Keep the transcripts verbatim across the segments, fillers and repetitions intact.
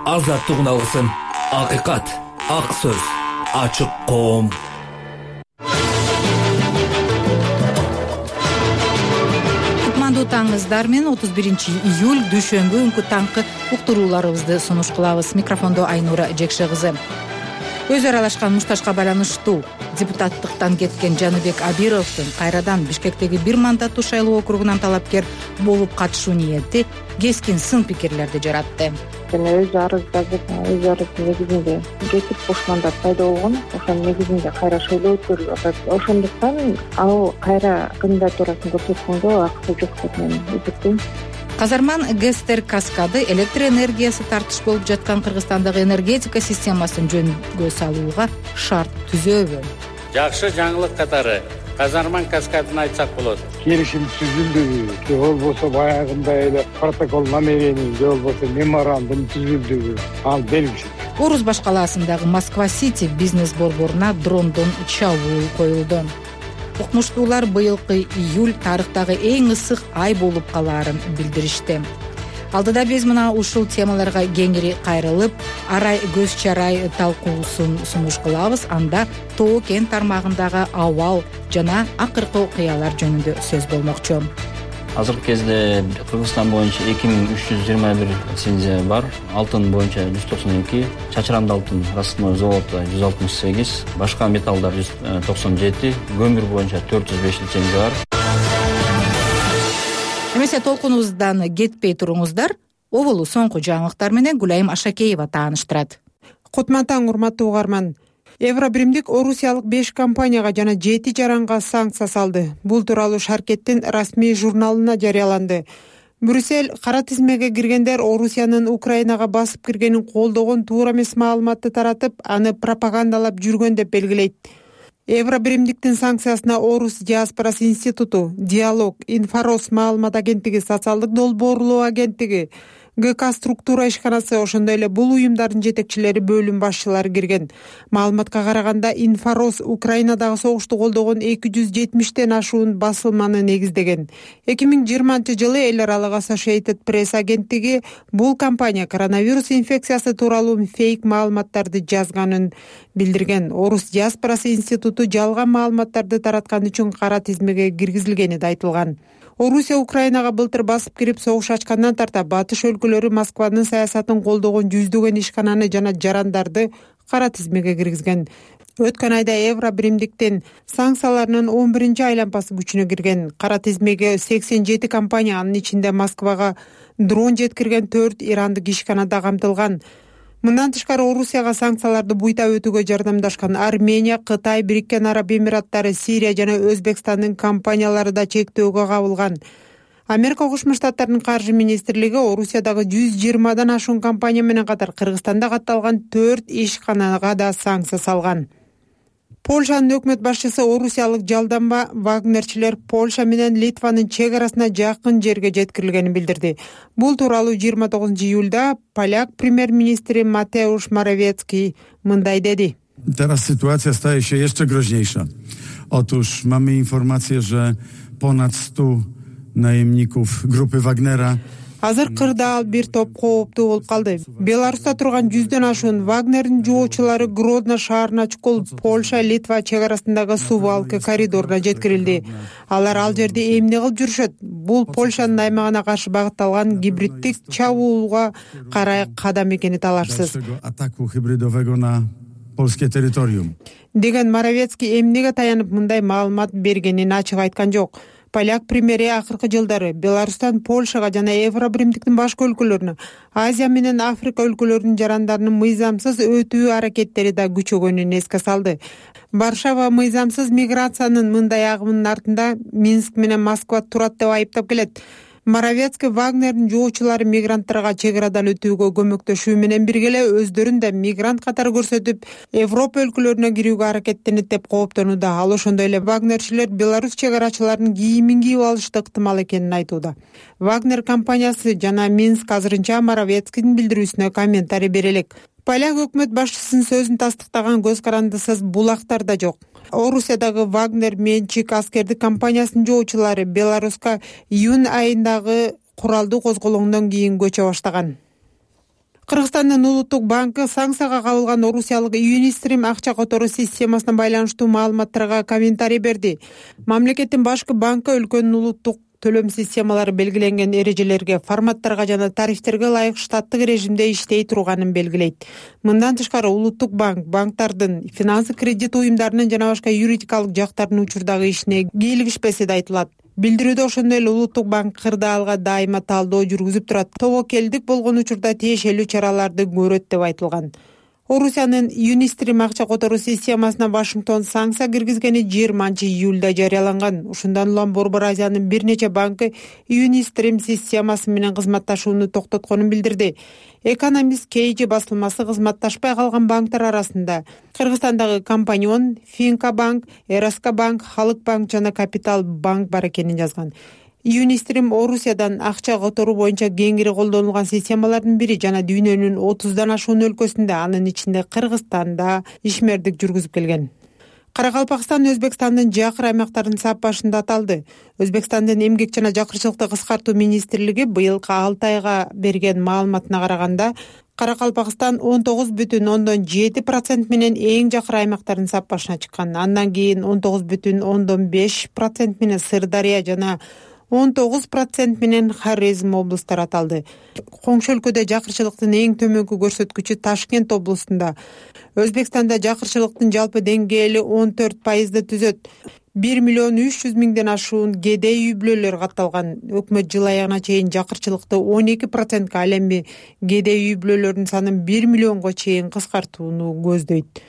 азаттыгын алсын. Акыйкат, ак сөз, ачык коом. Кутмандуу таңыңыздар менен отуз биринчи июль дүйшөмбү күнкү таңкы уктурууларыбызды сунуш кылабыз. Микрофондо Айнура Жекше кызы. Өзү аралашкан мушташка байланыштуу депутаттыктан кеткен Жаныбек Абировдун кайрадан Бишкектеги бир мандаттуу шайлоо округунан талапкер болуп катышуу ниети кескин сын пикирлерди жаратты. Өз арыз жазып, өз арыз негизинде кетип бош мандат пайда болгон. Ошонун негизинде кайра шайлоо өткөрүлүп атат. Ошондуктан ал кайра кандидатурасын көрсөткөнгө акысы жок деп мен эсептейм. Казарман Гестер каскады электр энергиясы тартыш болуп жаткан Кыргызстандагы энергетика системасын жөнгө салууга шарт түзөбү? Жакшы жаңылык катары Казарман каскадын айтсак болот. Келишим түзүлдүбү, же болбосо баягындай эле протокол намерений, же болбосо меморандум түзүлдүбү, ал белгисиз. Орус баш калаасындагы Москва-Сити бизнес борборуна дрондон чабуул коюлду. Укмуштуулар быйылкы июль тарыхтагы эң ысык ай болуп калаарын билдиришти. Алдыда биз мына ушул темаларга кеңири кайрылып, арай көз чарай талкуусун сунуш кылабыз. Анда Тоо кен тармагындагы абал жана акыркы окуялар жөнүндө сөз болмокчу. Азыркы кезде Кыргызстан боюнча эки миң үч жүз жыйырма бир лицензия бар. Алтын боюнча жүз токсон эки, чачырамды алтын рассыпной завода жүз алтымыш сегиз, башка металлдар жүз токсон жети, көмүр боюнча төрт жүз беш лицензия бар. Эмесе толкунубуздан кетпей туруңуздар. Оболу соңку жаңылыктар менен Гүлайым Ашакеева тааныштырат. Кутман таң, урматтуу угарман. Евробиримдик орусиялык беш компанияга жана жети жаранга санкция салды. Бул тууралуу Шаркеттин расмий журналына жарыяланды. Брюссель кара тизмеге киргендер Орусиянын Украинага басып киргенин колдогон туура эмес маалыматты таратып, аны пропагандалап жүргөн деп белгилейт. Евробиримдиктин санкциясына Орус диаспорасы институту, Диалог, Инфорос маалымат агенттиги, социалдык долбоорлоо агенттиги, ГК структура ишканасы, ошондой эле бул уюмдардын жетекчилери, бөлүм башчылары кирген. Маалыматка караганда, Инфорос Украинадагы согушту колдогон эки жүз жетимиштен ашуун басылманы негиздеген. эки миң жыйырманчы жылы эл аралык Associated Press агенттиги бул компания коронавирус инфекциясы тууралуу фейк маалыматтарды жазганын билдирген. Орус диаспорасы институту жалган маалыматтарды тараткан үчүн кара тизмеге киргизилгени да айтылган. Орусия Украинага былтыр басып кирип согуш ачкандан тарта батыш өлкөлөрү Москванын саясатын колдогон жүздөгөн ишкананы жана жарандарды кара тизмеге киргизген. Өткөн айда Евробиримдиктин санкцияларынын он биринчи айлампасы күчүнө кирген. Кара тизмеге сексен жети компания, анын ичинде Москвага дрон жеткирген төрт ирандык ишкана да камтылган. Мындан тышкары Орусияга санкцияларды буйта өтүүгө жардамдашкан Армения, Кытай, Бириккен Араб Эмираттары, Сирия жана Өзбекстандын компаниялары да чектөөгө кабылган. Америка Кошмо Штаттарынын каржы министрлиги Орусиядагы жүз жыйырмадан ашуун компания менен катар Кыргызстанда катталган төрт ишканага да санкция салган. Польшанын өкмөт башчысы орусиялык жалданба вагнерчилер Польша менен Литванын чек арасына жакын жерге жеткирилгенин билдирди. Бул тууралуу жыйырма тогузунчу июлда поляк премьер-министри Матеуш Моrawiecki мындай деди. Teraz sytuacja staje się jeszcze groźniejsza. Otóż mamy informację, że ponad stu najemników grupy Wagnera. Азыр кырдаал бир топ кооптуу болуп калды. Беларуста турган жүздөн ашуун Вагнердин жоочулары Гродно шаарына чукул Польша, Литва чек арасындагы Сувалки коридоруна жеткирилди. Алар ал жерде эмне кылып жүрүшөт? Бул Польшанын аймагына каршы багытталган гибриддик чабуулга карай кадам экени талашсыз. Атаку хибридового на польское территориум. Деген Моrawiecki эмнеге таянып мындай маалымат бергенин ачык айткан жок. Поляк премьери акыркы жылдары Беларустан Польшага жана Евробиримдиктин башка өлкөлөрүнө, Азия менен Африка өлкөлөрүнүн жарандарынын мыйзамсыз өтүү аракеттери да күчөгөнүн эске салды. Варшава мыйзамсыз миграциянын мындай агымынын артында Минск менен Москва турат деп айыптап келет. Моrawiecki Вагнердин жоочулары мигранттарга чек арадан өтүүгө көмөктөшүү менен бирге эле өздөрүн да мигрант катары көрсөтүп, Европа өлкөлөрүнө кирүүгө аракеттенет деп кооптонууда. Ал ошондой эле Вагнерчилер Беларусь чек арачыларынын кийимин кийип алышты ыктымал экенин айтууда. Вагнер компаниясы жана Минск азырынча Моrawiecki'нин билдирүүсүнө комментарий бере элек. Поляк өкмөт башчысынын сөзүн тастыктаган көз карандысыз булактар да жок. Орусиядагы Вагнер менчик аскердик компаниясынын жоочулары Беларуска июнь айындагы куралдуу козголоңдон кийин көчө баштаган. Кыргызстандын улуттук банкы санкцияга кабылган орусиялык Юнистрим акча которуу системасына байланыштуу маалыматтарга комментарий берди. Мамлекеттин башкы банкы өлкөнүн улуттук төлөм системалары белгиленген эрежелерге, форматтарга жана тарифтерге ылайык штаттык режимде иштей турганын белгилейт. Мындан тышкары улуттук банк банктардын, финансы кредит уюмдарынын жана башка юридикалык жактардын учурдагы ишине кийлигишпеси да айтылат. Билдирүүдө ошондой эле улуттук банк кырдаалга дайыма талдоо жүргүзүп турат, тобокелдик болгон учурда тиешелүү чараларды көрөт деп айтылган. Орусиянын Юнистрим акча которуу системасына Вашингтон санкция киргизгени жыйырманчы июлда жарыяланган. Ушундан улам Борбор Азиянын бир нече банкы Юнистрим системасы менен кызматташууну токтотконун билдирди. Экономист Кейджи басылмасы кызматташпай калган банктар арасында Кыргызстандагы Компанион, Финка банк, Эраска банк, Халык банк жана Капитал банк бар экенин жазган. Юнистрим Орусиядан акча которуу боюнча кеңири колдонулган системалардын бири жана дүйнөнүн отуздан ашуун өлкөсүндө, анын ичинде Кыргызстанда ишмердик жүргүзүп келген. Каракалпакстан Өзбекстандын жакыр аймактарын сап башында аталды. Өзбекстандын эмгек жана жакырчылыкты кыскартуу министрлиги быйылкы алты айга берген маалыматына караганда Каракалпакстан он тогуз бүтүн ондон жети процент менен эң жакыр аймактардын сап башына чыккан. Андан кийин он тогуз бүтүн ондон беш процент менен Сырдария жана он тогуз процент менен Хорезм облустары аталды. Коңшу өлкөдө жакырчылыктын эң төмөнкү көрсөткүчү Ташкент облустунда. Өзбекстанда жакырчылыктын жалпы деңгээли он төрт пайызды түзөт. бир миллион үч жүз миңден ашуун кедей үй бүлөлөр катталган. Өкмөт жыл аягына чейин жакырчылыкты он эки процентке, ал эми кедей үй бүлөлөрдүн санын бир миллионго чейин кыскартууну көздөйт.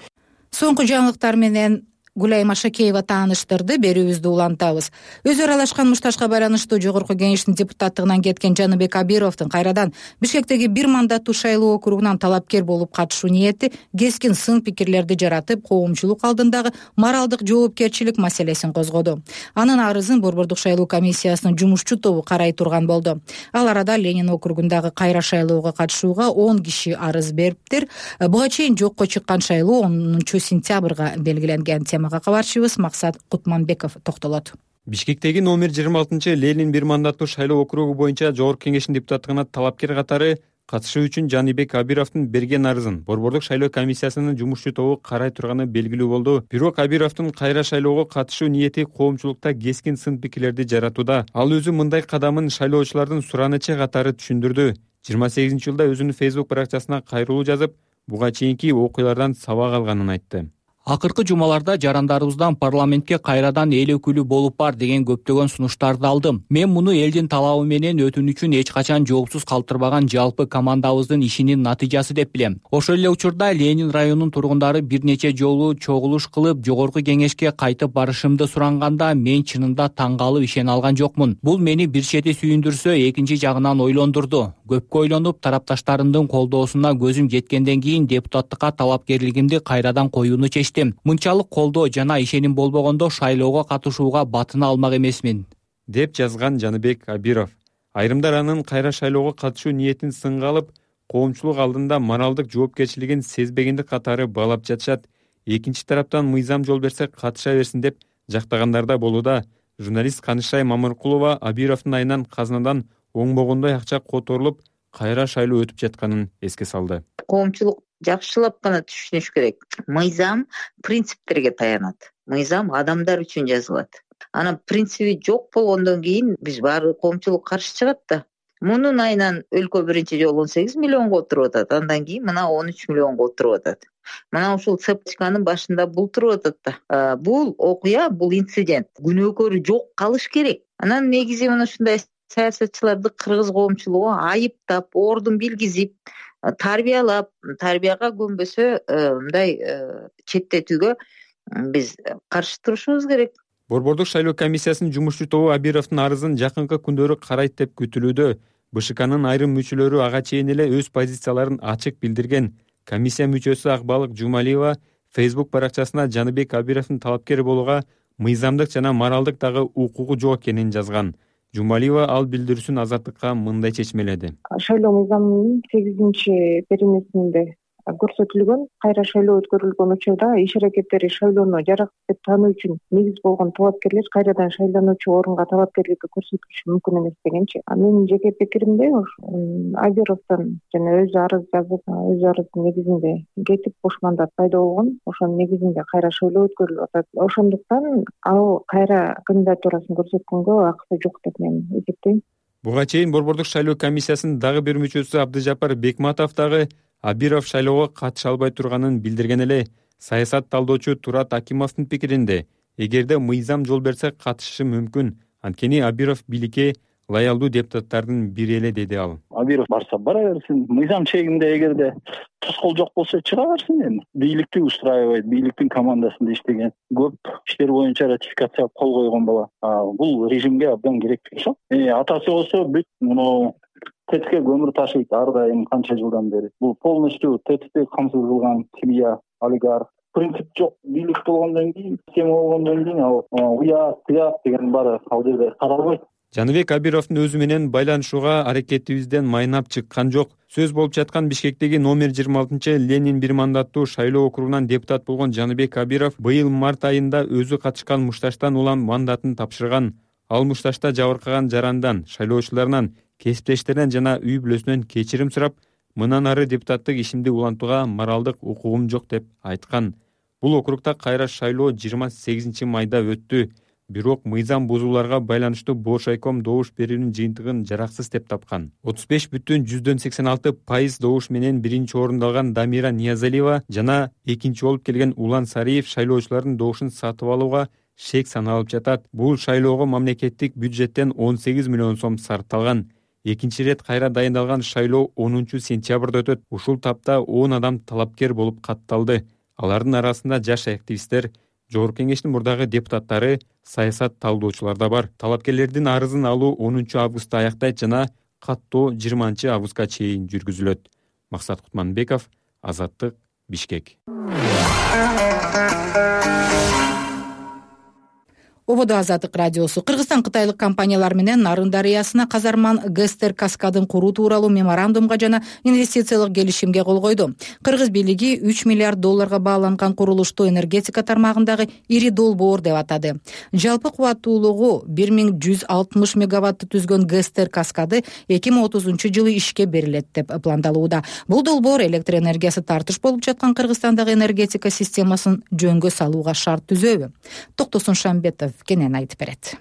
Соңку жаңылыктар менен Гулай Машакеева тааныштырды, берүүбүздү улантабыз. Өзү аралашкан мушташка байланыштуу жогорку кеңештин депутаттыгынан кеткен Жаныбек Абировдун кайрадан Бишкектеги бир мандаттуу шайлоо округунан талапкер болуп катышуу ниети кескин сын пикирлерди жаратып, коомчулук алдындагы моралдык жоопкерчилик маселесин козгоду. Анын арызын Борбордук шайлоо комиссиясынын жумушчу тобу карай турган болду. Ал арада Ленин округундагы кайра шайлоого катышууга он киши арыз бериптир. Буга чейин жокко чыккан шайлоо онунчу сентябрга белгиленген. Кабарчыбыз Максат Кутманбеков токтолот. Бишкектеги номер жыйырма алтынчы Ленин бир мандаттуу шайлоо округу боюнча жогорку кеңештин депутаттыгына талапкер катары катышуу үчүн Жаныбек Абировдун берген арызын Борбордук шайлоо комиссиясынын жумушчу тобу карай турганы белгилүү болду. Бирок Абировдун кайра шайлоого катышуу ниети коомчулукта кескин сын пикирлерди жаратууда. Ал өзү мындай кадамын шайлоочулардын суранычы катары түшүндүрдү. жыйырма сегизинчи жылда өзүнүн Facebook баракчасына кайрылуу жазып, буга чейинки окуялардан сабак алганын айтты. Акыркы жумаларда жарандарыбыздан парламентке кайрадан эл өкүлү болуп бар деген көптөгөн сунуштарды алдым. Мен муну элдин талабы менен өтүнүчүн эч качан жоопсуз калтырбаган жалпы командабыздын ишинин натыйжасы деп билем. Ошол эле учурда Ленин районунун тургундары бир нече жолу чогулуш кылып, жогорку кеңешке кайтып барышымды суранганда мен чынында таң калып ишене алган жокмун. Бул мени бир чети сүйүндүрсө, экинчи жагынан ойлондурду. Көпкө ойлонуп, тарапташтарымдын колдоосуна көзүм жеткенден кийин депутаттыкка талапкерлигимди кайрадан коюуну чечтим. Мынчалык колдоо жана ишеним болбогондо шайлоого катышууга батына алмак эмесмин, деп жазган Жаныбек Абиров. Айрымдар анын кайра шайлоого катышуу ниетин сынга алып, коомчулук алдында моралдык жоопкерчилигин сезбегендик катары баалап жатышат. Экинчи тараптан мыйзам жол берсе катыша берсин деп жактагандар да болууда. Журналист Канышай Мамыркулова Абировдун айынан казынадан оңбогондой акча которулуп, кайра шайлоо өтүп жатканын эске салды. Коомчулук жакшылап гана түшүнүш керек. Мыйзам принциптерге таянат. Мыйзам адамдар үчүн жазылат. Анан принциби жок болгондон кийин биз баары коомчулук каршы чыгат да. Мунун айынан өлкө биринчи жолу он сегиз миллионго отуруп атат. Андан кийин мына он үч миллионго отуруп атат. Мына ушул цепочканын башында бул туруп атат да. Бул окуя, бул инцидент. Күнөөкөрү жок калыш керек. Анан негизи мына ушундай саясатчыларды кыргыз коомчулугу айыптап, ордун билгизип, тарбиялап, тарбияга көнбөсө мындай четтетүүгө биз каршы турушубуз керек. Борбордук шайлоо комиссиясынын жумушчу тобу Абировдун арызын жакынкы күндөрү карайт деп күтүлүүдө. БШКнын айрым мүчөлөрү ага чейин эле өз позицияларын ачык билдирген. Комиссия мүчөсү Акбалык Жумалиева Facebook баракчасына Жаныбек Абировдун талапкер болууга мыйзамдык жана моралдык дагы укугу жок экенин жазган. Жумалиева ал билдирүүсүн Азаттыкка мындай чечмеледи. Шайлоо мыйзамынын сегизинчи беренесинде көрсөтүлгөн. Кайра шайлоо өткөрүлгөн учурда иш аракеттери шайлоону жарактуу деп таануу үчүн негиз болгон талапкерлер кайрадан шайлануучу орунга талапкерликти көрсөтүшү мүмкүн эмес дегенчи. Менин жеке пикиримде Абировдон жана өзү арыз жазып, өз арыздын негизинде кетип бош мандат пайда болгон. Ошонун негизинде кайра шайлоо өткөрүлүп атат. Ошондуктан ал кайра кандидатурасын көрсөткөнгө акысы жок деп мен эсептейм. Буга чейин Борбордук шайлоо комиссиясынын дагы бир мүчөсү Абдыжапар Бекматов дагы Абиров шайлоого катыша албай турганын билдирген эле. Саясат талдоочу Турат Акимовдун пикиринде, эгерде мыйзам жол берсе катышышы мүмкүн. Анткени Абиров бийликке лоялдуу депутаттардын бири эле, деди ал. Абиров барса бара берсин. Мыйзам чегинде эгерде тоскоол жок болсо чыга берсин эми. Бийликти устраивайт, бийликтин командасында иштеген, көп иштер боюнча ратификацияга кол койгон бала. Бул режимге абдан керек болчу. Атасы болсо бүт муну ТЭТке көмүр ташыйт ар дайым канча жылдан бери. Бул полностью ТЭТти камсыз кылган семья, олигарх. Принцип жок. Бийлик болгондон кийин, система болгондон кийин ал уят, уят деген баары ал жерде каралбайт. Жаныбек Абировдун өзү менен байланышууга аракетибизден майнап чыккан жок. Сөз болуп жаткан Бишкектеги номер жыйырма алтынчы Ленин бир мандаттуу шайлоо округунан депутат болгон Жаныбек Абиров быйыл март айында өзү катышкан мушташтан улам мандатын тапшырган. Ал мушташта жабыркаган жарандан, шайлоочуларынан, кесиптештеринен жана үй бүлөсүнөн кечирим сурап, мындан ары депутаттык ишимди улантууга моралдык укугум жок деп айткан. Бул округда кайра шайлоо жыйырма сегизинчи майда өттү. Бирок мыйзам бузууларга байланыштуу Бошайком добуш берүүнүн жыйынтыгын жараксыз деп тапкан. отуз беш бүтүн жүздөн сексен алты пайыз добуш менен биринчи орунду алган Дамира Ниязалиева жана экинчи болуп келген Улан Сариев шайлоочулардын добушун сатып алууга шек саналып жатат. Бул шайлоого мамлекеттик бюджеттен он сегиз миллион сом сарпталган. Экинчи рет кайра дайындалган шайлоо онунчу сентябрда өтөт. Ушул тапта он адам талапкер болуп катталды. Алардын арасында жаш активисттер, Жогорку кеңештин мурдагы депутаттары, саясат талдоочулар да бар. Талапкерлердин арызын алуу онунчу августта аяктайт жана каттоо жыйырманчы августка чейин жүргүзүлөт. Максат Кутманбеков, Азаттык, Бишкек. Ободо Азаттык радиосу. Кыргызстан кытайлык компаниялар менен Нарын дарыясына казарман Гестер каскадын куруу тууралуу меморандумга жана инвестициялык келишимге кол койду. Кыргыз бийлиги үч миллиард долларга бааланган курулушту энергетика тармагындагы ири долбоор деп атады. Жалпы кубаттуулугу бир миң жүз алтымыш мегаватты түзгөн Гестер каскады эки миң отузунчу жылы ишке берилет деп пландалууда. Бул долбоор электр энергиясы тартыш болуп жаткан Кыргызстандагы энергетика системасын жөнгө салууга шарт түзөбү? Токтосун Шамбетов кенен айтып берет.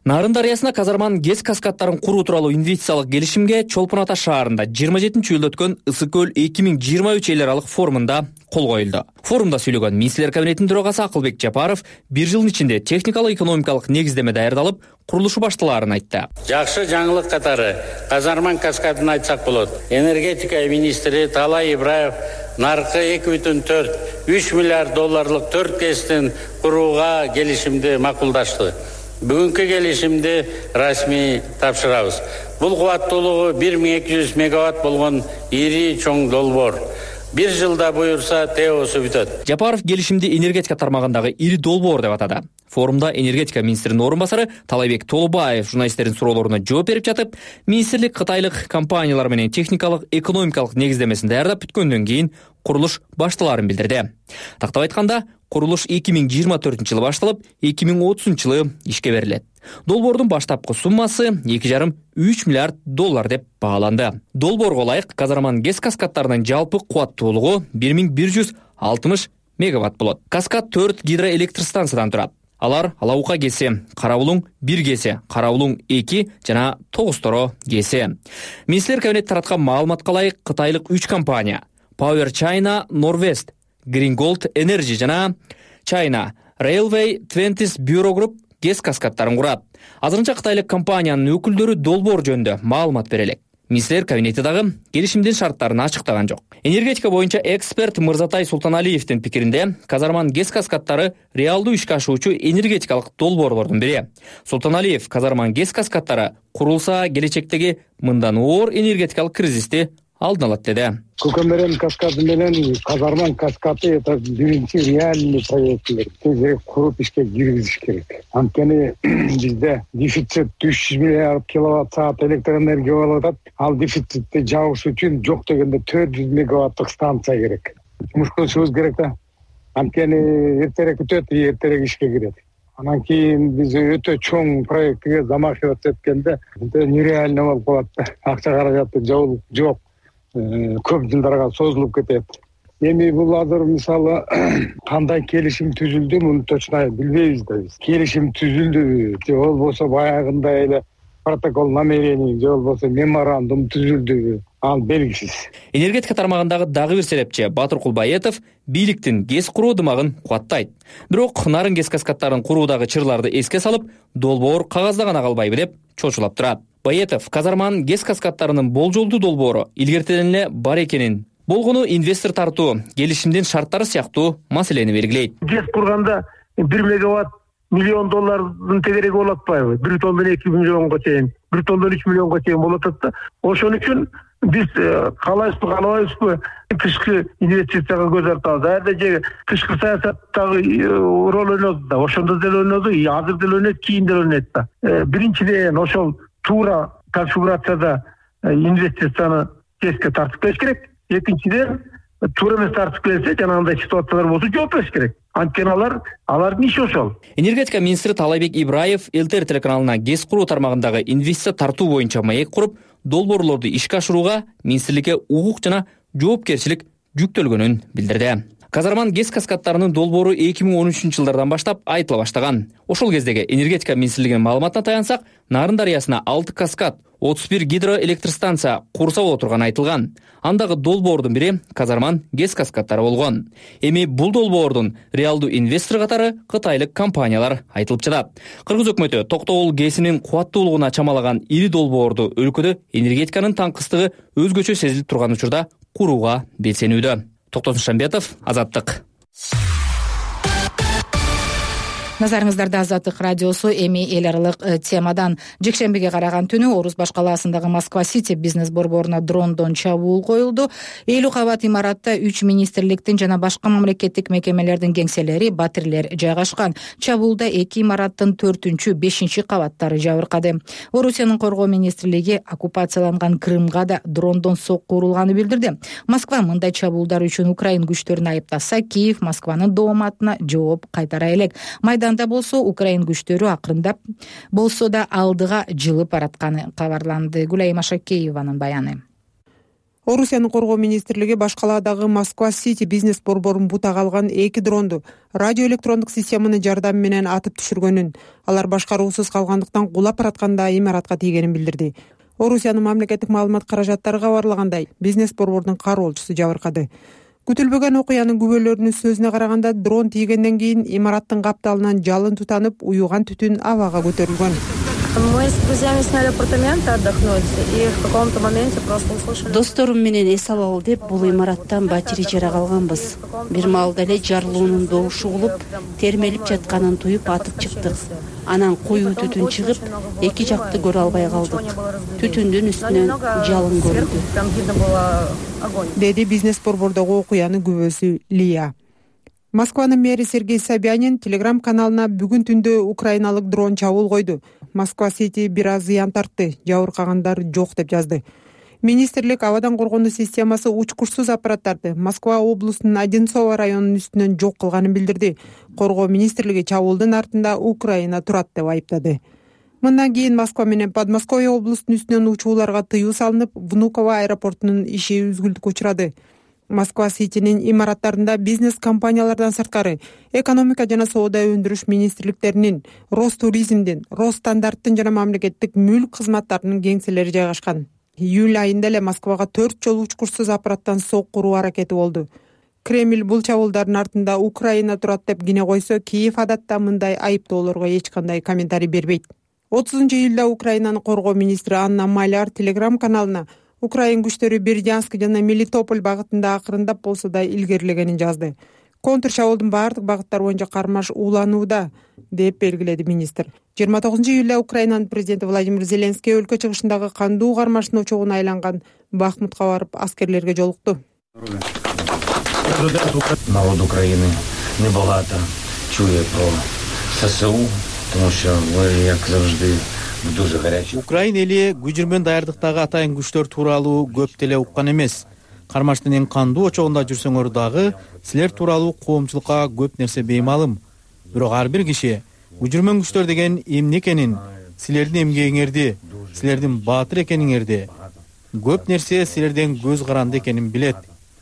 Нарын дарыясына казарман ГЭС каскадтарын куруу тууралуу инвестициялык келишимге Чолпон Ата шаарында жыйырма жетинчи июлда өткөн Ысык көл эки миң жыйырма үч эл аралык форумунда кол коюлду. Форумда сүйлөгөн министрлер кабинетинин төрагасы Акылбек Жапаров бир жылдын ичинде техникалык экономикалык негиздеме даярдалып, курулушу башталаарын айтты. Жакшы жаңылык катары казарман каскадын айтсак болот. Энергетика министри Талай Ибраев наркы эки бүтүн төрт үч миллиард долларлык төрт ГЭСтин курууга келишимди макулдашты. Бүгүнкү келишимди расмий тапшырабыз. Бул кубаттуулугу бир миң эки жүз мегаватт болгон ири чоң долбоор. Бир жылда буюрса теосу бүтөт. Жапаров келишимди энергетика тармагындагы ири долбоор деп атады. Форумда энергетика министринин орун басары Талайбек Толубаев журналисттердин суроолоруна жооп берип жатып, министрлик кытайлык компаниялар менен техникалык экономикалык негиздемесин даярдап бүткөндөн кийин курулуш башталаарын билдирди. Тактап айтканда, курулуш эки миң жыйырма төртүнчү жылы башталып, эки миң отузунчу жылы ишке берилет. Долбоордун баштапкы суммасы эки жарым үч миллиард доллар деп бааланды. Долбоорго ылайык казарман ГЭС каскадтарынын жалпы кубаттуулугу бир миң бир жүз алтымыш мегаватт болот. Каскад төрт гидроэлектр станциядан турат. Алар Алаука ГЭСи, Карабулуң бир ГЭСи, Карабулуң эки жана Тогусторо ГЭСи. Министрлер кабинети тараткан маалыматка ылайык кытайлык үч компания Power China, Norwest, Green Gold Energy жана China Railway Twenties Bureau Group ГЭС каскадтарын курат. Азырынча кытайлык компаниянын өкүлдөрү долбоор жөнүндө маалымат бере элек. Министрлер кабинети дагы келишимдин шарттарын ачыктаган жок. Энергетика боюнча эксперт Мырзатай Султаналиевдин пикиринде, казарман ГЭС каскадтары реалдуу ишке ашуучу энергетикалык долбоорлордун бири. Султаналиев казарман ГЭС каскадтары курулса келечектеги мындан оор энергетикалык кризисти алдын алат деди. Көкөмөрөн каскады менен Казарман каскады это биринчи реальный проекттер. Тезирээк куруп ишке киргизиш керек. Анткени бизде дефицит үч жүз миллиард киловатт саат электр энергия болуп атат. Ал дефицитти жабыш үчүн жок дегенде төрт жүз мегаваттык станция керек. Жумуш кылышыбыз керек да. Анткени эртерээк бүтөт, эртерээк ишке кирет. Анан кийин биз өтө чоң проектке замахиваться эткенде нереально болуп калат да. Акча каражаты жок. Көп жылдарга созулуп кетет. Эми бул азыр мисалы кандай келишим түзүлдү, муну точно билбейбиз да биз. Келишим түзүлдүбү же болбосо баягындай эле протокол намерений же болбосо меморандум түзүлдүбү, ал белгисиз. Энергетика тармагындагы дагы бир серепчи Батыр Кулбаетов бийликтин ГЭС куруу дымагын кубаттайт. Бирок нарын ГЭС каскадтарын куруудагы чырларды эске салып, долбоор кагазда гана калбайбы деп чочулап турат. Баетов Казарман ГЭС каскадтарынын болжолдуу долбоору илгертеден эле бар экенин, болгону инвестор тартуу, келишимдин шарттары сыяктуу маселени белгилейт. ГЭС курганда бир мегаватт миллион доллардын тегереги болуп атпайбы? бир тонндан эки миллионго чейин, бир тонндан үч миллионго чейин болуп атат да. Ошон үчүн биз каалайбызбы, каалабайбызбы тышкы инвестицияга көз артабыз. Ада же тышкы саясаттагы роль ойноду да, ошондо деле ойноду, азыр деле ойнойт, кийин деле ойнойт да. Биринчиден ошол туура конфигурацияда инвестицияны ГЭСке тартып келиш керек. Экинчиден туура эмес тартып келсе, жанагындай ситуациялар болсо жооп бериш керек. Анткени алар алардын иши ошол. Энергетика министри Талайбек Ибраев ЛТР телеканалына ГЭС куруу тармагындагы инвестиция тартуу боюнча маек куруп, долбоорлорду ишке ашырууга министрликке укук жана жоопкерчилик жүктөлгөнүн билдирди. Казарман ГЭС каскадтарынын долбоору эки миң он үчүнчү жылдардан баштап айтыла баштаган. Ошол кездеги энергетика министрлигинин маалыматына таянсак, Нарын дарыясына алты каскад, отуз бир гидроэлектростанция курса боло турганы айтылган. Андагы долбоордун бири Казарман ГЭС каскадтары болгон. Эми бул долбоордун реалдуу инвестор катары кытайлык компаниялар айтылып жатат. Кыргыз өкмөтү Токтогул ГЭСинин кубаттуулугуна чамалаган ири долбоорду өлкөдө энергетиканын таңкыстыгы өзгөчө сезилип турган учурда курууга белсенүүдө. Токтосун Шамбетов, Азаттык. Назарыңыздарда Азаттык радиосу. Эми эл аралык темадан. Жекшембиге караган түнү Орус башкаласындагы Москва-Сити бизнес борборуна дрондон чабуул коюлду. элүү кабат имаратта үч министрликтин жана башка мамлекеттик мекемелердин кеңселери, батирлер жайгашкан. Чабуулда эки имараттын төртүнчү, бешинчи кабаттары жабыркады. Орусиянын коргоо министрлиги оккупацияланган Крымга да дрондон сокку урулганын билдирди. Москва мындай чабуулдар үчүн Украин күчтөрүн айыптаса, Киев Москванын дооматына жооп кайтара элек. Майдан болсо Украин күчтөрү акырындап болсо да алдыга жылып баратканы кабарланды. Гүлайым Ашакееванын баяны. Орусиянын коргоо министрлиги башкаладагы Москва-Сити бизнес борборун бутага алган эки дронду радиоэлектрондук системанын жардамы менен атып түшүргөнүн, алар башкаруусуз калгандыктан кулап баратканда имаратка тийгенин билдирди. Орусиянын мамлекеттик маалымат каражаттары кабарлагандай, бизнес борбордун кароолчусу жабыркады. Күтүлбөгөн окуянын күбөлөрүнүн сөзүнө караганда, дрон тийгенден кийин имараттын капталынан жалын тутанып, уюган түтүн абага көтөрүлгөн. Мы с друзьями сняли апартаменты отдохнуть, и в каком-то моменте просто услышали... Досторум менен эс алалы деп бул имараттан батири жара калганбыз. Бир маалда эле жарылуунун добушу угулуп, термелип жатканын туюп атып чыктык. Анан коюу түтүн чыгып, эки жакты көрө албай калдык. Түтүндүн үстүнөн жалын көрүндү. Деди бизнес борбордогу окуянын күбөсү Лия. Москванын мэри Сергей Собянин Телеграм каналына бүгүн түндө украиналык дрон чабуул койду. Москва-Сити бир аз зыян тартты, жабыркагандар жок деп жазды. Министрлик абадан коргонуу системасы учкучсуз аппараттарды Москва облусунун Одинцово районунун үстүнөн жок кылганын билдирди. Коргоо министрлиги чабуулдун артында Украина турат деп айыптады. Мындан кийин Москва менен Подмосковье облусунун үстүнөн учууларга тыюу салынып, Внуково аэропортунун иши үзгүлтүккө учурады. Москва-Ситинин имараттарында бизнес компаниялардан сырткары экономика жана соода өндүрүш министрликтеринин, Ростуризмдин, Росстандарттын жана мамлекеттик мүлк кызматтарынын кеңселери жайгашкан. Июль айында эле Москвага төрт жолу учкучсуз аппараттан сокку уруу аракети болду. Кремль бул чабуулдардын артында Украина турат деп кине койсо, Киев адатта мындай айыптоолорго эч кандай комментарий бербейт. отузунчу июлда Украинанын коргоо министри Анна Маляр Телеграм каналына Украин күчтөрү Бердянск жана Мелитополь багытында акырындап болсо да илгерилегенин жазды. контр чабуулдун баардык багыттары боюнча кармаш уланууда деп белгиледи министр. жыйырма тогузунчу июлда Украинанын президенти Владимир Зеленский өлкө чыгышындагы кандуу кармаштын очогуна айланган Бахмутка барып аскерлерге жолукту. Народ України небагато чує про ССУ, тому що ви, як завжди, дуже гарячі. Украин эли күжүрмөн даярдыктагы атайын күчтөр тууралуу көп деле уккан эмес. Кармаштын эң кандуу очогунда жүрсөңөр дагы силер тууралуу коомчулукка көп нерсе беймалым. Бирок ар бир киши күжүрмөн күчтөр деген эмне экенин, силердин эмгегиңерди, силердин баатыр экениңерди, көп нерсе силерден көз каранды экенин билет.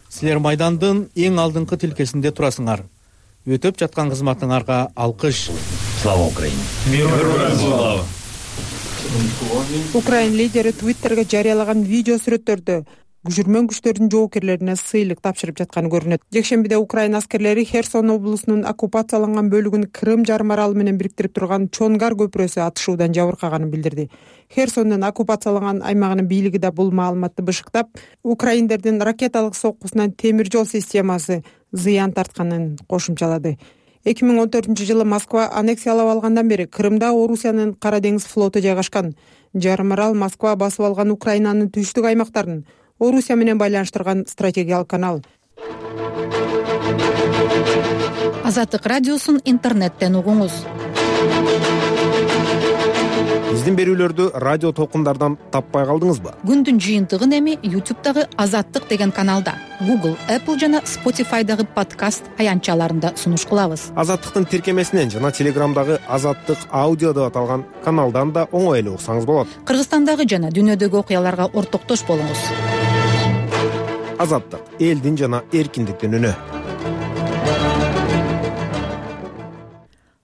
Силер майдандын эң алдыңкы тилкесинде турасыңар. Өтөп жаткан кызматыңарга алкыш. Слава Украине! Героям слава! Украин лидери Твиттерге жарыялаган видео сүрөттөрдө күжүрмөн күчтөрдүн жоокерлерине сыйлык тапшырып жатканы көрүнөт. Жекшембиде Украин аскерлери Херсон облусунун оккупацияланган бөлүгүн Крым жарым аралы менен бириктирип турган Чонгар көпүрөсү атышуудан жабыркаганын билдирди. Херсондун оккупацияланган аймагынын бийлиги да бул маалыматты бышыктап, украиндердин ракеталык соккусунан темир жол системасы зыян тартканын кошумчалады. эки миң он төртүнчү жылы Москва аннексиялап алгандан бери Крымда Орусиянын Кара деңиз флоту жайгашкан. Жарым арал Москва басып алган Украинанын түштүк аймактарын Орусия менен байланыштырган стратегиялык канал. Азаттык радиосун интернеттен угуңуз. Биздин берүүлөрдү радио толкундардан таппай калдыңызбы? Күндүн жыйынтыгын эми YouTube'дагы Азаттык деген каналда, Google, Apple жана Spotify'дагы подкаст аянтчаларында сунуш кылабыз. Азаттыктын тиркемесинен жана Телеграмдагы Азаттык аудио деп аталган каналдан да оңой эле уксаңыз болот. Кыргызстандагы жана дүйнөдөгү окуяларга ортоктош болуңуз. Азаттык — элдин жана эркиндиктин үнү.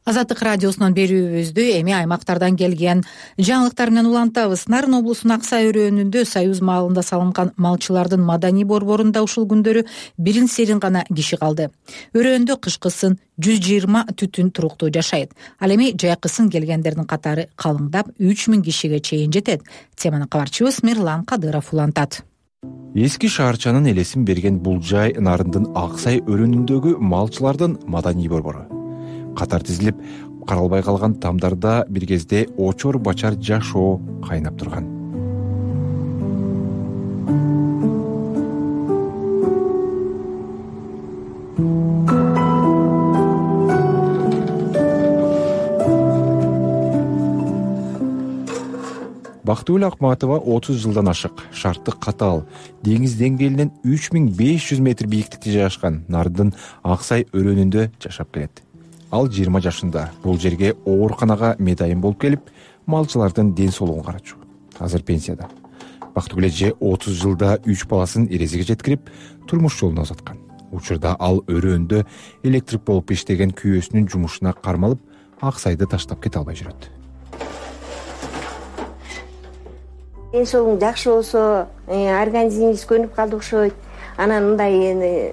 Азаттык радиосунун берүүбүздү эми аймактардан келген жаңылыктар менен улантабыз. Нарын облусунун Аксай өрөөнүндө Союз маалында салынган малчылардын маданий борборунда ушул күндөрү бирин серин гана киши калды. Өрөөндө кышкысын жүз жыйырма түтүн туруктуу жашайт. Ал эми жайкысын келгендердин катары калыңдап үч миң кишиге чейин жетет. Теманы кабарчыбыз Мирлан Кадыров улантат. Эски шаарчанын элесин берген бул жай Нарындын Аксай өрөөнүндөгү малчылардын маданий борбору. Катар тизилип, каралбай калган тамдарда бир кезде очор бачар жашоо кайнап турган. Бактыгүл Акматова отуз жылдан ашык, шарты катаал, деңиз деңгээлинен үч миң беш жүз метр бийиктикте жайгашкан Нардын Аксай өрөөнүндө жашап келет. Ал жыйырма жашында бул жерге ооруканага медайым болуп келип, малчылардын ден соолугун карачу. Азыр пенсияда. Бактыгүл эже отуз жылда үч баласын эрезиге жеткирип, турмуш жолуна узаткан. Учурда ал өрөөндө электрик болуп иштеген күйөөсүнүн жумушуна кармалып, Аксайды таштап кете албай жүрөт. Ден соолугуң жакшы болсо, организмиңиз көнүп калды окшойт. Анан мындай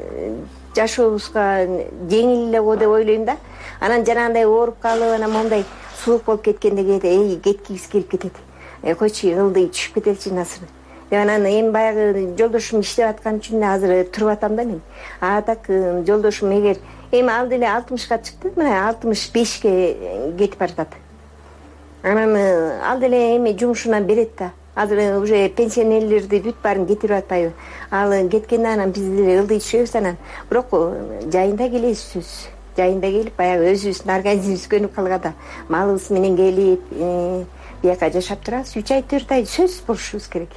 жашообузга жеңил эле го деп ойлойм да. Анан жанагындай ооруп калып, анан мондай суук болуп кеткенде кээде эй кеткибиз келип кетет. Э койчу ылдый түшүп кетеличи насыр. Деп анан эми баягы жолдошум иштеп аткан үчүн азыр туруп атам да мен. А так жолдошум эгер эми ал деле алтымышка чыкты, мына алтымыш бешке кетип баратат. Анан ал деле эми жумушунан берет да. Азыр уже пенсионерлерди бүт баарын кетирип атпайбы. Ал кеткенде анан биз деле ылдый түшөбүз анан. Бирок жайында келесиз. Жайында келип баягы өзүбүздүн организмибиз көнүп калганда малыбыз менен келип, бияка жашап турабыз. үч ай төрт ай сөзсүз болушубуз керек.